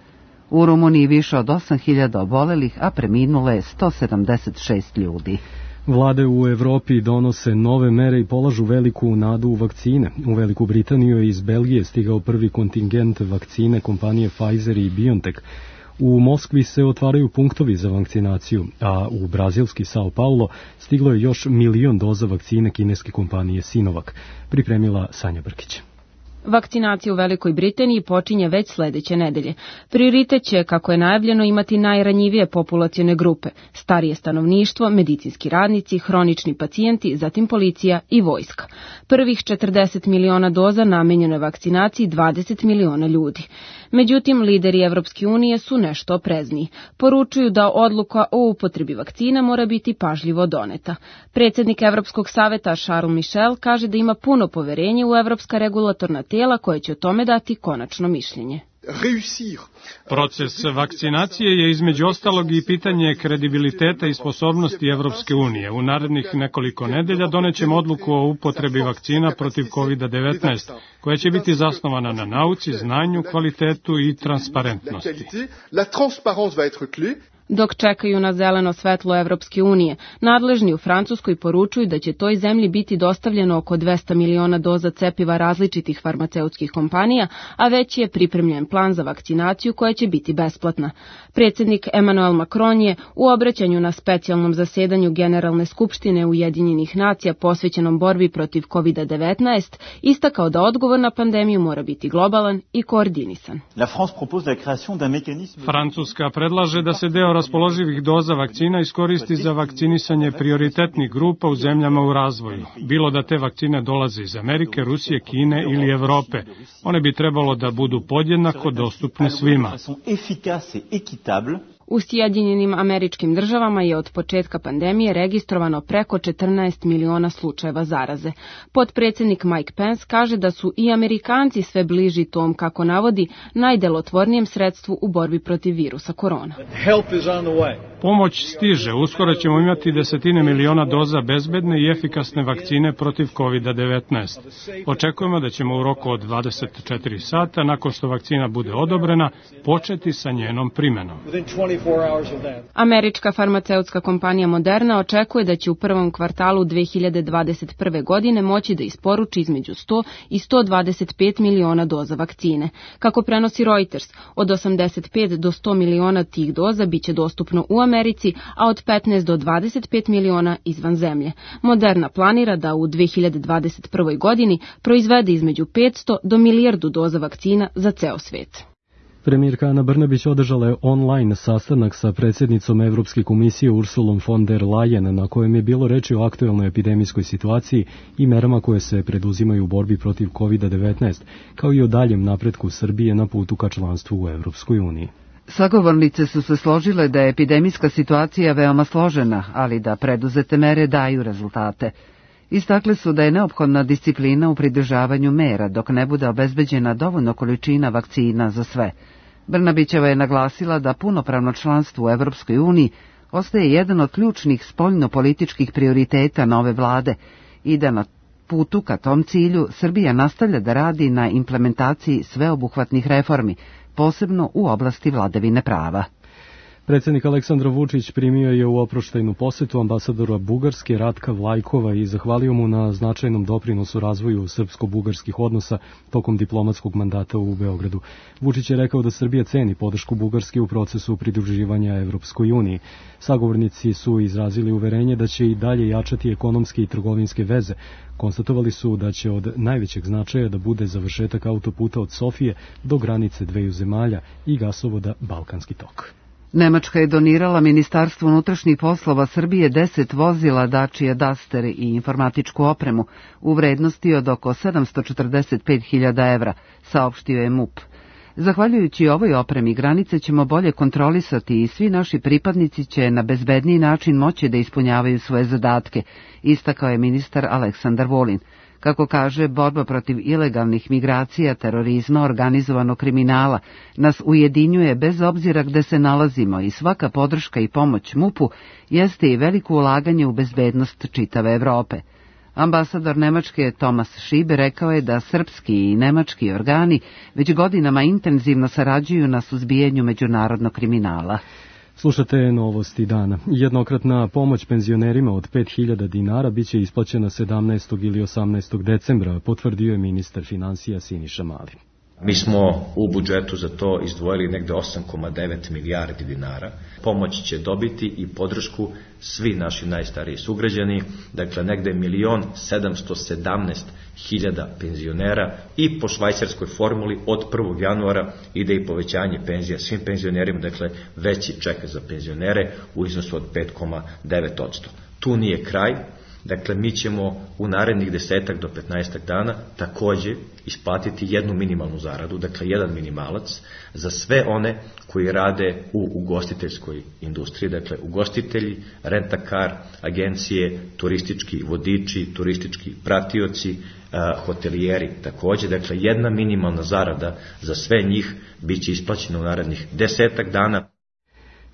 U Rumuniji više od osam hiljada obolelih, a preminulo je sto sedamdeset šest ljudi. Vlade u Evropi donose nove mere i polažu veliku nadu u vakcine. U Veliku Britaniju je iz Belgije stigao prvi kontingent vakcine kompanije Pfizer i BioNTech. U Moskvi se otvaraju punktovi za vakcinaciju, a u brazilski Sao Paulo stiglo je još milion doza vakcine kineske kompanije Sinovac. Pripremila Sanja Brkić. Vakcinacija u Velikoj Britaniji počinje već sledeće nedelje. Prioritet će, kako je najavljeno, imati najranjivije populacione grupe, starije stanovništvo, medicinski radnici, hronični pacijenti, zatim policija i vojska. Prvih četrdeset miliona doza namenjeno je vakcinaciji dvadeset miliona ljudi. Međutim, lideri Evropske unije su nešto oprezniji. Poručuju da odluka o upotrebi vakcina mora biti pažljivo doneta. Predsjednik Evropskog saveta Charles Michel kaže da ima puno poverenje u evropska regulatorna tijela koje će o tome dati konačno mišljenje. Proces vakcinacije je između ostalog i pitanje kredibiliteta i sposobnosti Evropske unije. U narednih nekoliko nedelja donećemo odluku o upotrebi vakcina protiv kovid devetnaest, koja će biti zasnovana na nauci, znanju, kvalitetu i transparentnosti. Dok čekaju na zeleno svetlo Evropske unije, nadležni u Francuskoj poručuju da će toj zemlji biti dostavljeno oko dvesta miliona doza cepiva različitih farmaceutskih kompanija, a već je pripremljen plan za vakcinaciju koja će biti besplatna. Predsjednik Emmanuel Macron je u obraćanju na specijalnom zasedanju Generalne skupštine Ujedinjenih nacija posvećenom borbi protiv kovid devetnaest istakao da odgovor na pandemiju mora biti globalan i koordinisan. Francuska predlaže da se deo raspoloživih doza vakcina iskoristi za vakcinisanje prioritetnih grupa u zemljama u razvoju. Bilo da te vakcine dolaze iz Amerike, Rusije, Kine ili Evrope. One bi trebalo da budu podjednako dostupne svima. U Sjedinjenim Američkim Državama je od početka pandemije registrovano preko četrnaest miliona slučajeva zaraze. Potpredsjednik Mike Pence kaže da su i Amerikanci sve bliži tom, kako navodi, najdelotvornijem sredstvu u borbi protiv virusa korona. Pomoć stiže. Uskoro ćemo imati desetine miliona doza bezbedne i efikasne vakcine protiv kovid devetnaest. Očekujemo da ćemo u roku od dvadeset četiri sata, nakon što vakcina bude odobrena, početi sa njenom primenom. Američka farmaceutska kompanija Moderna očekuje da će u prvom kvartalu dve hiljade dvadeset prve. godine moći da isporuči između sto i sto dvadeset pet miliona doza vakcine. Kako prenosi Reuters, od osamdeset pet do sto miliona tih doza biće dostupno u Americi, a od petnaest do dvadeset pet miliona izvan zemlje. Moderna planira da u dve hiljade dvadeset prvoj. godini proizvede između petsto do milijardu doza vakcina za ceo svet. Premijerka Ana Brnabić održala je online sastanak sa predsjednicom Evropske komisije Ursulom von der Leyen, na kojem je bilo reči o aktuelnoj epidemijskoj situaciji i merama koje se preduzimaju u borbi protiv kovid devetnaest, kao i o daljem napretku Srbije na putu ka članstvu u Evropskoj uniji. Sagovornice su se složile da je epidemijska situacija veoma složena, ali da preduzete mere daju rezultate. Istakle su da je neophodna disciplina u pridržavanju mera dok ne bude obezbeđena dovoljno količina vakcina za sve. Brnabićeva je naglasila da punopravno članstvo u Evropskoj uniji ostaje jedan od ključnih spoljnopolitičkih prioriteta nove vlade i da na putu ka tom cilju Srbija nastavlja da radi na implementaciji sveobuhvatnih reformi, posebno u oblasti vladavine prava. Predsjednik Aleksandar Vučić primio je u oproštajnu posetu ambasadora Bugarske Ratka Vlajkova i zahvalio mu na značajnom doprinosu razvoju srpsko-bugarskih odnosa tokom diplomatskog mandata u Beogradu. Vučić je rekao da Srbija ceni podršku Bugarske u procesu pridruživanja Evropskoj uniji. Sagovornici su izrazili uverenje da će i dalje jačati ekonomske i trgovinske veze. Konstatovali su da će od najvećeg značaja da bude završetak autoputa od Sofije do granice dveju zemalja i gasovoda Balkanski tok. Nemačka je donirala Ministarstvu unutrašnjih poslova Srbije deset vozila Dacia Duster i informatičku opremu u vrednosti od oko sedamsto četrdeset pet hiljada evra, saopštio je MUP. Zahvaljujući ovoj opremi, granice ćemo bolje kontrolisati i svi naši pripadnici će na bezbedniji način moći da ispunjavaju svoje zadatke, istakao je ministar Aleksandar Vulin. Kako kaže, borba protiv ilegalnih migracija, terorizma, organizovanog kriminala nas ujedinjuje bez obzira gde se nalazimo i svaka podrška i pomoć MUP-u jeste i veliko ulaganje u bezbednost čitave Evrope. Ambasador Nemačke Thomas Schiebe rekao je da srpski i nemački organi već godinama intenzivno sarađuju na suzbijanju međunarodnog kriminala. Slušate novosti dana. Jednokratna pomoć penzionerima od pet hiljada dinara biće isplaćena sedamnaestog ili osamnaestog decembra, potvrdio je ministar finansija Siniša Mali. Mi smo u budžetu za to izdvojili negde osam zarez devet milijardi dinara. Pomoć će dobiti i podršku svi naši najstariji sugrađani, dakle negde milion sedamsto sedamnaest hiljada penzionera i po švajcarskoj formuli od prvog januara ide i povećanje penzija svim penzionerima, dakle veći ček za penzionere u iznosu od pet zarez devet posto. Tu nije kraj. Dakle, mi ćemo u narednih desetak do petnaestak dana takođe isplatiti jednu minimalnu zaradu, dakle jedan minimalac, za sve one koji rade u ugostiteljskoj industriji, dakle ugostitelji, rentakar, agencije, turistički vodiči, turistički pratioci, hotelijeri takođe, dakle jedna minimalna zarada za sve njih biće isplaćena u narednih desetak dana.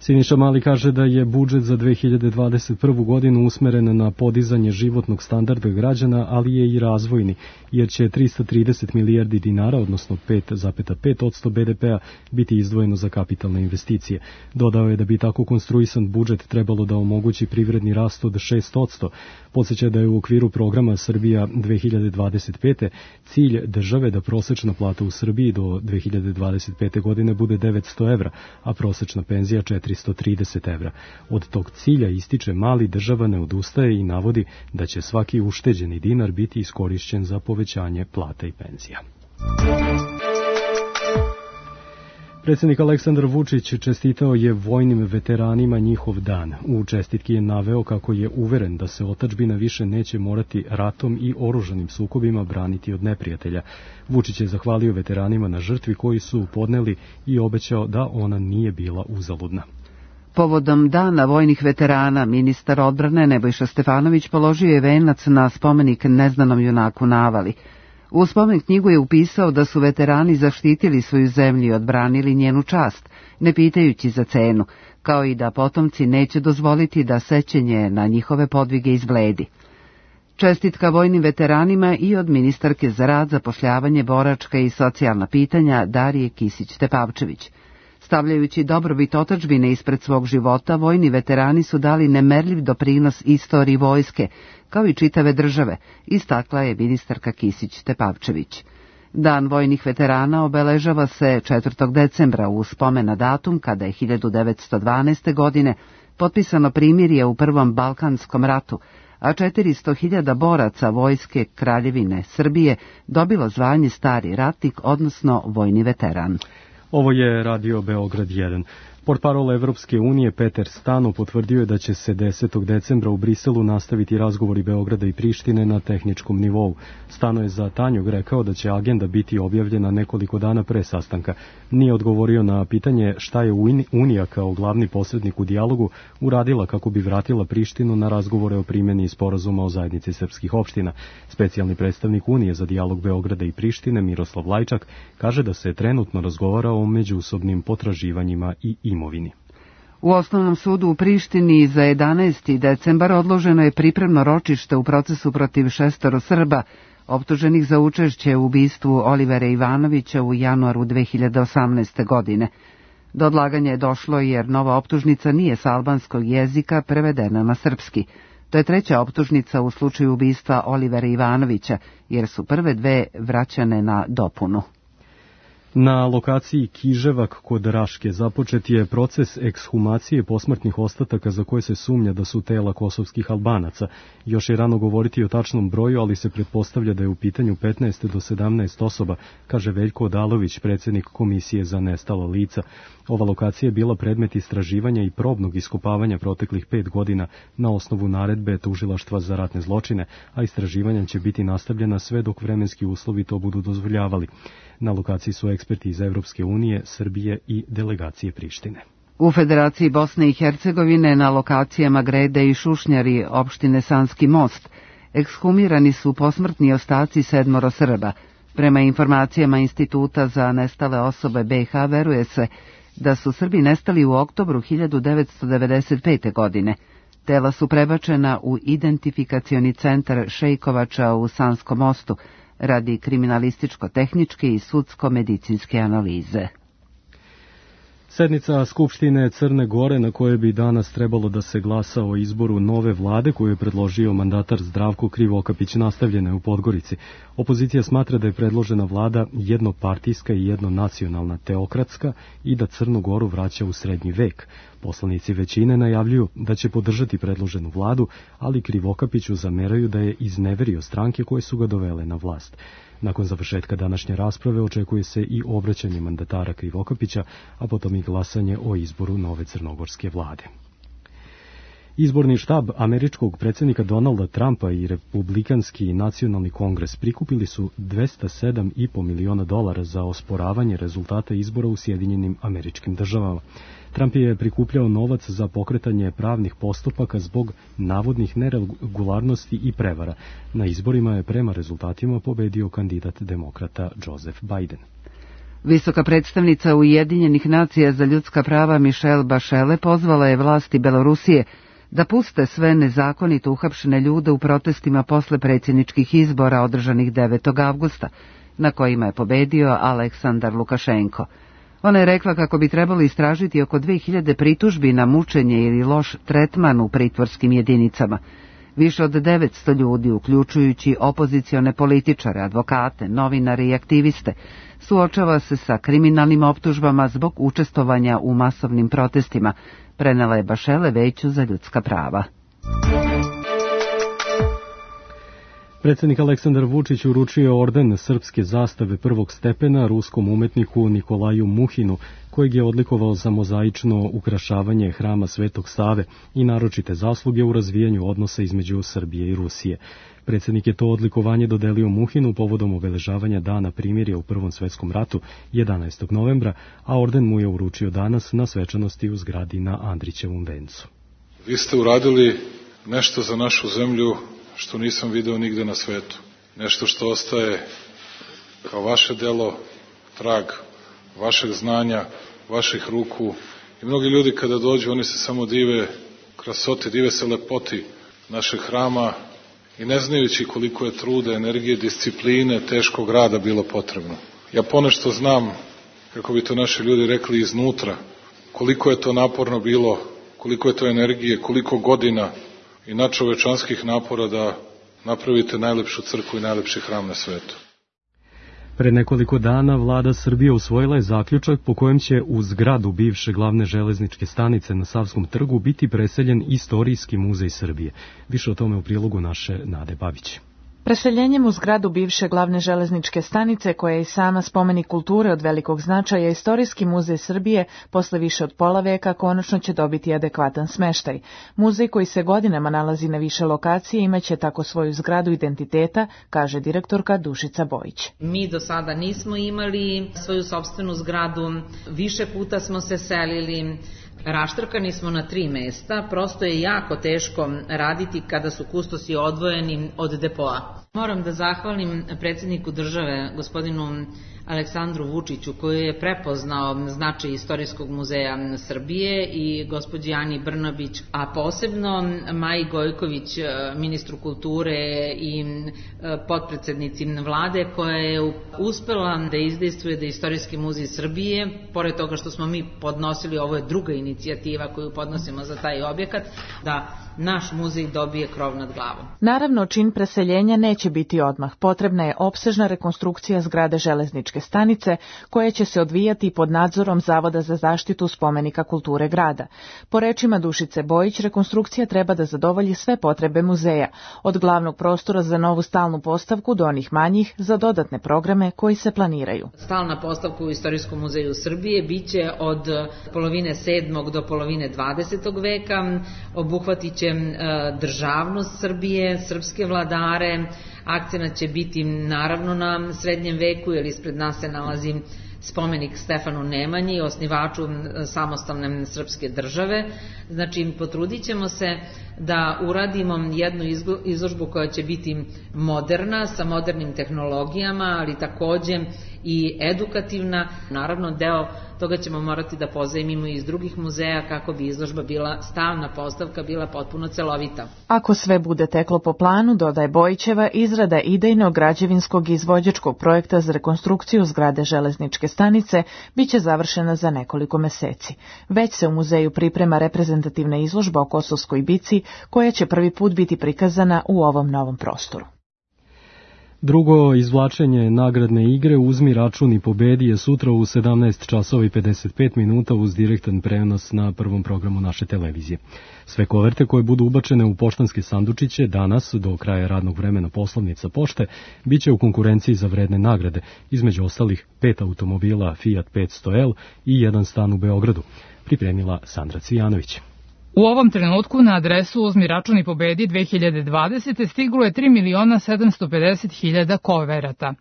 Siniša Mali kaže da je budžet za dve hiljade dvadeset prvu. godinu usmeren na podizanje životnog standarda građana, ali je i razvojni, jer će trista trideset milijardi dinara, odnosno pet zarez pet posto be de pea, biti izdvojeno za kapitalne investicije. Dodao je da bi tako konstruisan budžet trebalo da omogući privredni rast od šest posto. Podsjeća da je u okviru programa Srbija dve hiljade dvadeset pete. cilj države da prosečna plata u Srbiji do dve hiljade dvadeset pete. godine bude devetsto evra, a prosečna penzija četiristo trideset evra. Od tog cilja, ističe Mali, država ne odustaje i navodi da će svaki ušteđeni dinar biti iskorišćen za povećanje plata i penzija. Predsjednik Aleksandar Vučić čestitao je vojnim veteranima njihov dan. U čestitki je naveo kako je uveren da se otadžbina više neće morati ratom i oružanim sukobima braniti od neprijatelja. Vučić je zahvalio veteranima na žrtvi koji su podneli i obećao da ona nije bila uzaludna. Povodom Dana vojnih veterana, ministar odbrane Nebojša Stefanović položio je venac na spomenik neznanom junaku na Avali. U spomen knjigu je upisao da su veterani zaštitili svoju zemlju i odbranili njenu čast, ne pitajući za cenu, kao i da potomci neće dozvoliti da sećanje na njihove podvige izbledi. Čestitka vojnim veteranima i od ministarke za rad, zapošljavanje, boračka i socijalna pitanja Darije Kisić-Tepavčević. Stavljajući dobrobit otadžbine ispred svog života, vojni veterani su dali nemerljiv doprinos istoriji vojske, kao i čitave države, istakla je ministarka Kisić-Tepavčević. Dan vojnih veterana obeležava se četvrtog decembra u spomen na datum kada je hiljadu devetsto dvanaeste. godine potpisano primirje u Prvom Balkanskom ratu, a četiristo hiljada boraca vojske Kraljevine Srbije dobilo zvanje stari ratnik, odnosno vojni veteran. Ovo je Radio Beograd jedan. Portparol Evropske unije Peter Stano potvrdio je da će se desetog decembra u Briselu nastaviti razgovori Beograda i Prištine na tehničkom nivou. Stano je za Tanjug rekao da će agenda biti objavljena nekoliko dana pre sastanka. Nije odgovorio na pitanje šta je Unija kao glavni posrednik u dijalogu uradila kako bi vratila Prištinu na razgovore o primjeni sporazuma o zajednici srpskih opština. Specijalni predstavnik Unije za dijalog Beograda i Prištine Miroslav Lajčak kaže da se trenutno razgovara o međusobnim potraživanjima i imovini. U Osnovnom sudu u Prištini za jedanaesti decembar odloženo je pripremno ročište u procesu protiv šestoro Srba, optuženih za učešće u ubistvu Olivera Ivanovića u januaru dve hiljade osamnaeste. godine. Do odlaganja je došlo jer nova optužnica nije s albanskog jezika prevedena na srpski. To je treća optužnica u slučaju ubistva Olivera Ivanovića, jer su prve dve vraćane na dopunu. Na lokaciji Kiževak kod Raške započet je proces ekshumacije posmrtnih ostataka za koje se sumnja da su tela kosovskih Albanaca. Još je rano govoriti o tačnom broju, ali se pretpostavlja da je u pitanju petnaest do sedamnaest osoba, kaže Veljko Odalović, predsjednik Komisije za nestala lica. Ova lokacija je bila predmet istraživanja i probnog iskopavanja proteklih pet godina na osnovu naredbe Tužilaštva za ratne zločine, a istraživanja će biti nastavljena sve dok vremenski uslovi to budu dozvoljavali. Na lokaciji su eksperti iz Evropske unije, Srbije i delegacije Prištine. U Federaciji Bosne i Hercegovine na lokacijama Grede i Šušnjari opštine Sanski most ekshumirani su posmrtni ostaci sedmoro Srba. Prema informacijama Instituta za nestale osobe B iH veruje se da su Srbi nestali u oktobru hiljadu devetsto devedeset pete. godine. Tela su prebačena u identifikacioni centar Šejkovača u Sanskom mostu radi kriminalističko-tehničke i sudsko-medicinske analize. Sednica Skupštine Crne Gore na kojoj bi danas trebalo da se glasa o izboru nove vlade koju je predložio mandatar Zdravko Krivokapić nastavljena je u Podgorici. Opozicija smatra da je predložena vlada jednopartijska i jednonacionalna teokratska i da Crnu Goru vraća u srednji vek. Poslanici većine najavljuju da će podržati predloženu vladu, ali Krivokapiću zameraju da je izneverio stranke koje su ga dovele na vlast. Nakon završetka današnje rasprave očekuje se i obraćanje mandatara Krivokapića, a potom i glasanje o izboru nove crnogorske vlade. Izborni štab američkog predsjednika Donalda Trumpa i Republikanski nacionalni kongres prikupili su dvesta sedam i po miliona dolara za osporavanje rezultata izbora u Sjedinjenim Američkim Državama. Trump je prikupljao novac za pokretanje pravnih postupaka zbog navodnih neregularnosti i prevara. Na izborima je prema rezultatima pobedio kandidat demokrata Joseph Biden. Visoka predstavnica Ujedinjenih nacija za ljudska prava Michelle Bachelet pozvala je vlasti Belorusije da puste sve nezakonito uhapšene ljude u protestima posle predsjedničkih izbora održanih devetog avgusta, na kojima je pobedio Aleksandar Lukašenko. Ona je rekla kako bi trebalo istražiti oko dve hiljade pritužbi na mučenje ili loš tretman u pritvorskim jedinicama. Više od devetsto ljudi, uključujući opozicione političare, advokate, novinare i aktiviste, suočava se sa kriminalnim optužbama zbog učestvovanja u masovnim protestima, prenela je Bachelet Veću za ljudska prava. Predsjednik Aleksandar Vučić uručio orden srpske zastave prvog stepena ruskom umetniku Nikolaju Muhinu, kojeg je odlikovao za mozaično ukrašavanje hrama Svetog Save i naročite zasluge u razvijanju odnosa između Srbije i Rusije. Predsjednik je to odlikovanje dodelio Muhinu povodom obeležavanja Dana primirja u Prvom svetskom ratu jedanaestog novembra, a orden mu je uručio danas na svečanosti u zgradi na Andrićevom vencu. Vi ste uradili nešto za našu zemlju što nisam video nigde na svetu. Nešto što ostaje kao vaše delo, trag vašeg znanja, vaših ruku. I mnogi ljudi kada dođu, oni se samo dive krasoti, dive se lepoti našeg hrama i ne znajući koliko je truda, energije, discipline, teškog rada bilo potrebno. Ja ponešto znam, kako bi to naši ljudi rekli iznutra, koliko je to naporno bilo, koliko je to energije, koliko godina i nadčovečanskih napora da napravite najlepšu crkvu i najlepši hram na svetu. Pred nekoliko dana vlada Srbije usvojila je zaključak po kojem će u zgradu bivše glavne železničke stanice na Savskom trgu biti preseljen Istorijski muzej Srbije. Više o tome u prilogu naše Nade Babić. Preseljenjem u zgradu bivše glavne železničke stanice, koja je i sama spomenik kulture od velikog značaja, Istorijski muzej Srbije posle više od pola veka konačno će dobiti adekvatan smeštaj. Muzej koji se godinama nalazi na više lokacije imaće tako svoju zgradu identiteta, kaže direktorka Dušica Bojić. Mi do sada nismo imali svoju sopstvenu zgradu, više puta smo se selili, raštrkani smo na tri mesta, prosto je jako teško raditi kada su kustosi odvojeni od depoa. Moram da zahvalim predsjedniku države, gospodinu Aleksandru Vučiću, koji je prepoznao značaj Istorijskog muzeja Srbije, i gospođi Ani Brnabić, a posebno Maji Gojković, ministru kulture i potpredsednici vlade, koja je uspela da izdejstvuje da Istorijski muzej Srbije, pored toga što smo mi podnosili, ovo je druga inicijativa koju podnosimo za taj objekat, da naš muzej dobije krov nad glavom. Naravno, čin preseljenja neće biti odmah. Potrebna je opsežna rekonstrukcija zgrade železničke stanice, koja će se odvijati pod nadzorom Zavoda za zaštitu spomenika kulture grada. Po rečima Dušice Bojić, rekonstrukcija treba da zadovolji sve potrebe muzeja, od glavnog prostora za novu stalnu postavku do onih manjih za dodatne programe koji se planiraju. Stalna postavka u Istorijskom muzeju Srbije biće od polovine sedmog do polovine dvadesetog veka, obuhvatit će državnost Srbije, srpske vladare, akcenat će biti naravno na srednjem veku, jer ispred nas se nalazi spomenik Stefanu Nemanji, osnivaču samostalne srpske države. Znači, potrudit ćemo se da uradimo jednu izložbu koja će biti moderna, sa modernim tehnologijama, ali takođe i edukativna. Naravno, deo toga ćemo morati da pozajmimo iz drugih muzeja kako bi izložba bila stalna postavka, bila potpuno celovita. Ako sve bude teklo po planu, dodaje Bojićeva, izrada idejnog građevinskog i izvođačkog projekta za rekonstrukciju zgrade železničke stanice biće završena za nekoliko meseci. Već se u muzeju priprema reprezentativna izložba o Kosovskoj bici, koja će prvi put biti prikazana u ovom novom prostoru. Drugo izvlačenje nagradne igre Uzmi račun i pobedi je sutra u sedamnaest časova i pedeset pet minuta uz direktan prenos na prvom programu naše televizije. Sve koverte koje budu ubačene u poštanske sandučiće danas do kraja radnog vremena poslovnica pošte biće u konkurenciji za vredne nagrade, između ostalih pet automobila Fiat petsto L i jedan stan u Beogradu, pripremila Sandra Cvijanović. U ovom trenutku na adresu Uzmi račun i pobedi dve hiljade dvadesete stiglo je tri miliona sedamsto pedeset hiljada koverata.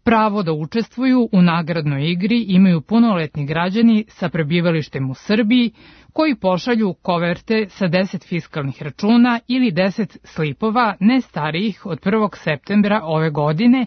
Pravo da učestvuju u nagradnoj igri imaju punoletni građani sa prebivalištem u Srbiji koji pošalju koverte sa deset fiskalnih računa ili deset slipova ne starijih od prvog septembra ove godine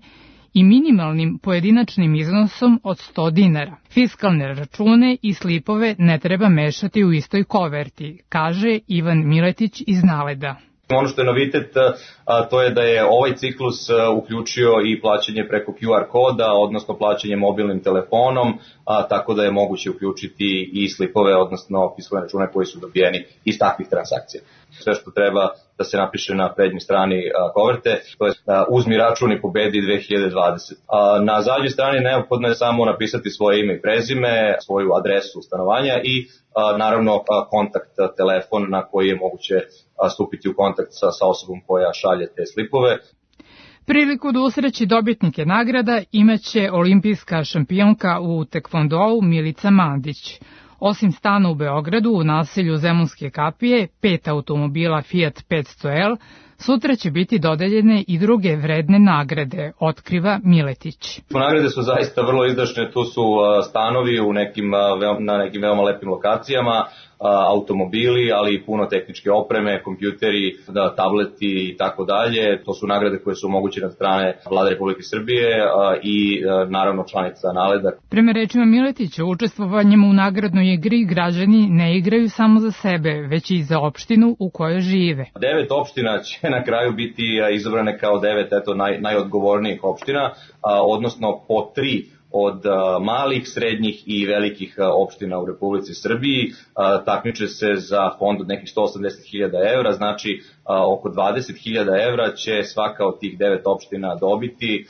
i minimalnim pojedinačnim iznosom od sto dinara. Fiskalne račune i slipove ne treba mešati u istoj koverti, kaže Ivan Miletić iz Naleda. Ono što je novitet, a, to je da je ovaj ciklus a, uključio i plaćanje preko Q R koda, odnosno plaćanje mobilnim telefonom, a, tako da je moguće uključiti i slipove, odnosno fiskalne račune koji su dobijeni iz takvih transakcija. Sve što treba da se napiše na prednjoj strani a, koverte, to je a, Uzmi račun i pobedi dve hiljade dvadesete. A, na zadnjoj strani neophodno je samo napisati svoje ime i prezime, svoju adresu stanovanja i a, naravno a, kontakt a, telefon na koji je moguće a, stupiti u kontakt sa, sa osobom koja šalje te slipove. Priliku da usreći dobitnike nagrada imaće olimpijska šampionka u tekvondou Milica Mandić. Osim stana u Beogradu, u naselju Zemunske kapije, pet automobila Fiat petsto L, sutra će biti dodeljene i druge vredne nagrade, otkriva Miletić. Nagrade su zaista vrlo izdašne, tu su stanovi u nekim, na nekim veoma lepim lokacijama, automobili, ali i puno tehničke opreme, kompjuteri, da, tableti i tako dalje. To su nagrade koje su omogućene od strane Vlade Republike Srbije i naravno članica Naleda. Prema rečima Miletića, učestvovanjem u nagradnoj igri građani ne igraju samo za sebe, već i za opštinu u kojoj žive. Devet opština će na kraju biti izabrane kao devet eto, naj, najodgovornijih opština, odnosno po tri od malih, srednjih i velikih opština u Republici Srbiji. Takmiče se za fond od nekih sto osamdeset hiljada evra, znači oko dvadeset hiljada evra će svaka od tih devet opština dobiti,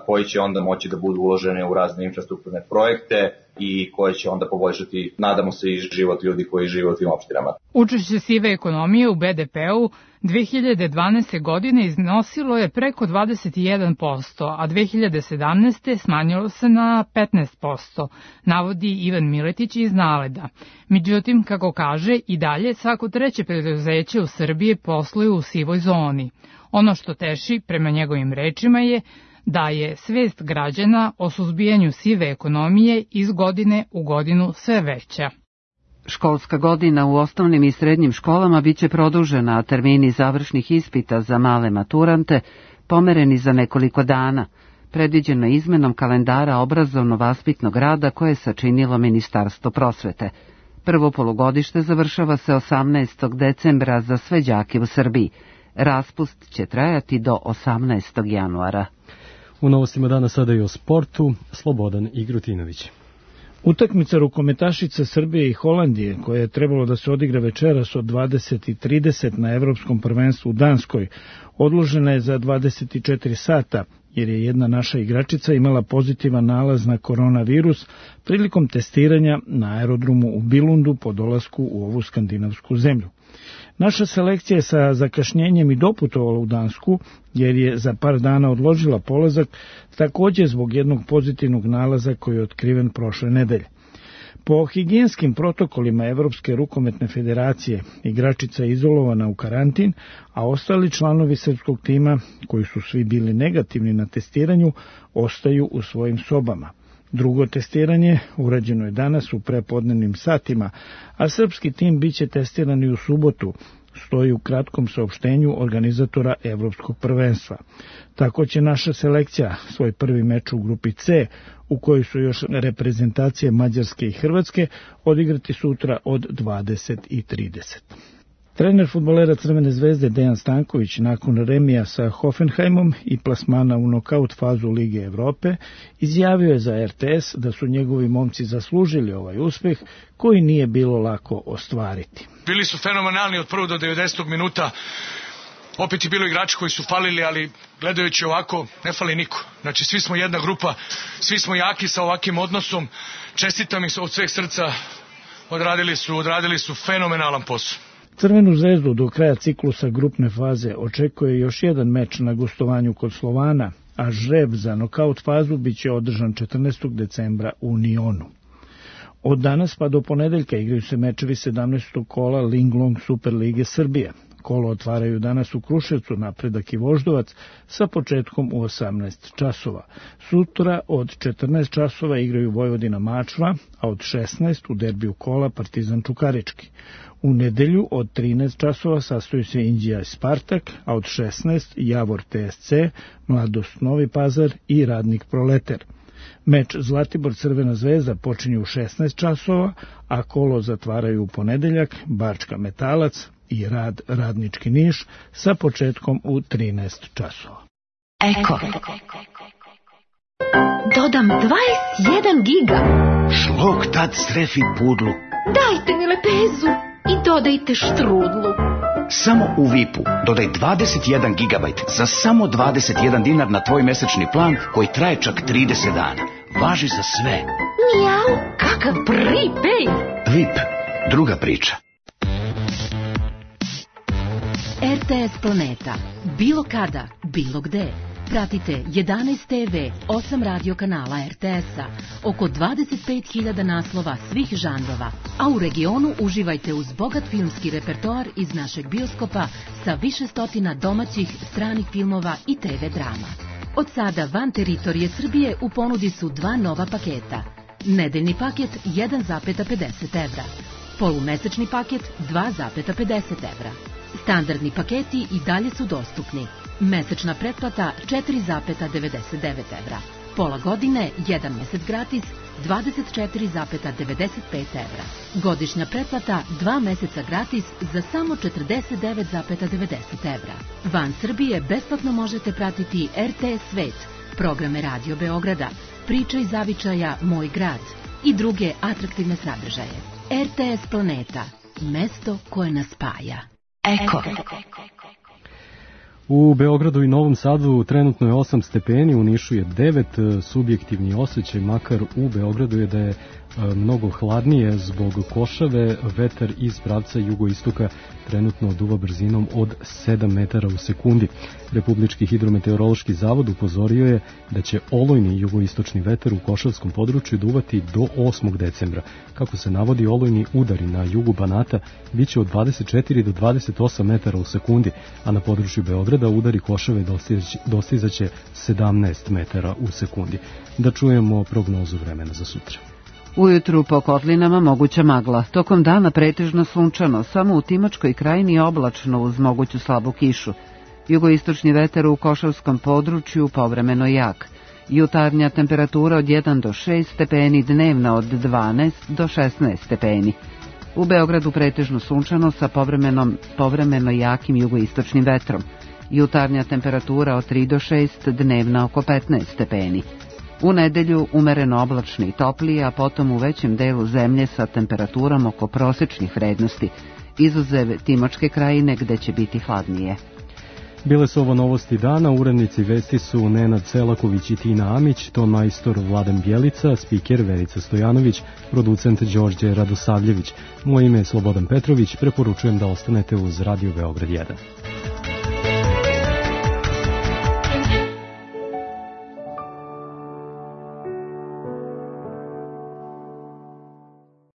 koji će onda moći da budu uložene u razne infrastrukturne projekte i koje će onda poboljšati, nadamo se, i život ljudi koji žive u tim opštinama. Učešće sive ekonomije u B D P-u dve hiljade dvanaeste. godine iznosilo je preko dvadeset jedan posto, a dve hiljade sedamnaeste. smanjilo se na petnaest posto, navodi Ivan Miletić iz Naleda. Međutim, kako kaže, i dalje svako treće preduzeće u Srbiji posluju u sivoj zoni. Ono što teši, prema njegovim rečima, je da je svest građana o suzbijanju sive ekonomije iz godine u godinu sve veća. Školska godina u osnovnim i srednjim školama biće produžena, a termini završnih ispita za male maturante pomereni za nekoliko dana, predviđeno izmenom kalendara obrazovno-vaspitnog rada koje je sačinilo Ministarstvo prosvete. Prvo polugodište završava se osamnaestog decembra za sve đake u Srbiji. Raspust će trajati do osamnaestog januara. U novostima dana sada i o sportu, Slobodan Igrutinović. Utakmica rukometašica Srbije i Holandije, koja je trebalo da se odigra večeras od dvadeset i trideset na Evropskom prvenstvu u Danskoj, odložena je za dvadeset i četiri sata, jer je jedna naša igračica imala pozitivan nalaz na koronavirus prilikom testiranja na aerodromu u Bilundu po dolasku u ovu skandinavsku zemlju. Naša selekcija je sa zakašnjenjem i doputovala u Dansku, jer je za par dana odložila polazak, također zbog jednog pozitivnog nalaza koji je otkriven prošle nedelje. Po higijenskim protokolima Evropske rukometne federacije, igračica je izolovana u karantin, a ostali članovi srpskog tima, koji su svi bili negativni na testiranju, ostaju u svojim sobama. Drugo testiranje urađeno je danas u prepodnevnim satima, a srpski tim biće testiran i u subotu, stoji u kratkom saopštenju organizatora Evropskog prvenstva. Tako će naša selekcija svoj prvi meč u grupi C, u kojoj su još reprezentacije Mađarske i Hrvatske, odigrati sutra od dvadeset i trideset. Trener fudbalera Crvene zvezde Dejan Stanković nakon remija sa Hoffenheimom i plasmana u nokaut fazu Lige Evrope izjavio je za R T S da su njegovi momci zaslužili ovaj uspeh koji nije bilo lako ostvariti. Bili su fenomenalni od prvog do devedesetog minuta. Opet je bilo igrači koji su falili, ali gledajući ovako ne fali niko. Znači svi smo jedna grupa, svi smo jaki sa ovakvim odnosom. Čestitam ih od sveg srca, odradili su, odradili su fenomenalan posao. Crvenu zvezdu do kraja ciklusa grupne faze očekuje još jedan meč na gostovanju kod Slovana, a žreb za nokaut fazu biće održan četrnaestog decembra u Nionu. Od danas pa do ponedeljka igraju se mečevi sedamnaestog kola Linglong Super Lige Srbije. Kolo otvaraju danas u Kruševcu Napredak i Voždovac sa početkom u osamnaest časova. Sutra od četrnaest časova igraju Vojvodina Mačva, a od šesnaest u derbiju kola Partizan Čukarički. U nedelju od trinaest časova sastoji se Inđija i Spartak, a od šesnaest Javor T S C, Mladost Novi Pazar i Radnik Proleter. Meč Zlatibor Crvena zvezda počinje u šesnaest časova, a kolo zatvaraju u ponedeljak Bačka Metalac i Rad Radnički Niš sa početkom u trinaest časova. Eko. Dodam dvadeset jedan giga. Šlog tad strefi pudlu. Dajte mi lepezu i dodajte štrudlu. Samo u V I P-u dodaj dvadeset jedan gigabajt za samo dvadeset jedan dinar na tvoj mesečni plan koji traje čak trideset dana. Važi za sve. Mijau, kakav prepaid. V I P, druga priča. R T S Planeta. Bilo kada, bilo gde. Pratite jedanaest T V, osam radio kanala R T S-a, oko dvadeset pet hiljada naslova svih žanrova, a u regionu uživajte uz bogat filmski repertoar iz našeg bioskopa sa više stotina domaćih, stranih filmova i T V drama. Od sada van teritorije Srbije u ponudi su dva nova paketa. Nedeljni paket jedan zarez pedeset evra, polumesečni paket dva zarez pedeset evra. Standardni paketi i dalje su dostupni. Mesečna pretplata četiri zarez devedeset devet evra. Pola godine, jedan mesec gratis, dvadeset četiri zarez devedeset pet evra. Godišnja pretplata, dva meseca gratis za samo četrdeset devet zarez devedeset evra. Van Srbije besplatno možete pratiti R T S Svet, programe Radio Beograda, Priča iz zavičaja Moj grad i druge atraktivne sadržaje. R T S Planeta, mesto koje nas spaja. Eko. U Beogradu i Novom Sadu trenutno je osam stepeni, u Nišu je devet, subjektivni osjećaj makar u Beogradu je da je mnogo hladnije zbog košave, vetar iz pravca jugoistoka trenutno duva brzinom od sedam metara u sekundi. Republički hidrometeorološki zavod upozorio je da će olujni jugoistočni vetar u košavskom području duvati do osmog decembra. Kako se navodi, olujni udari na jugu Banata biće od dvadeset četiri do dvadeset osam metara u sekundi, a na području Beograda udari košave dostizaće sedamnaest metara u sekundi. Da čujemo prognozu vremena za sutra. Ujutru po kotlinama moguća magla, tokom dana pretežno sunčano, samo u Timočkoj krajini oblačno uz moguću slabu kišu. Jugoistočni vetar u Košavskom području povremeno jak. Jutarnja temperatura od jedan do šest stepeni, dnevna od dvanaest do šesnaest stepeni. U Beogradu pretežno sunčano sa povremenom, povremeno jakim jugoistočnim vetrom. Jutarnja temperatura od tri do šest, dnevna oko petnaest stepeni. U nedelju umereno oblačno i toplije, a potom u većem delu zemlje sa temperaturom oko prosečnih vrednosti, izuzev Timočke krajine gde će biti hladnije. Bile su ovo novosti dana, urednici vesti su Nenad Selaković i Tina Amić, ton majstor Vladan Bjelica, spiker Verica Stojanović, producent Đorđe Radosavljević. Moje ime je Slobodan Petrović, preporučujem da ostanete uz Radio Beograd jedan.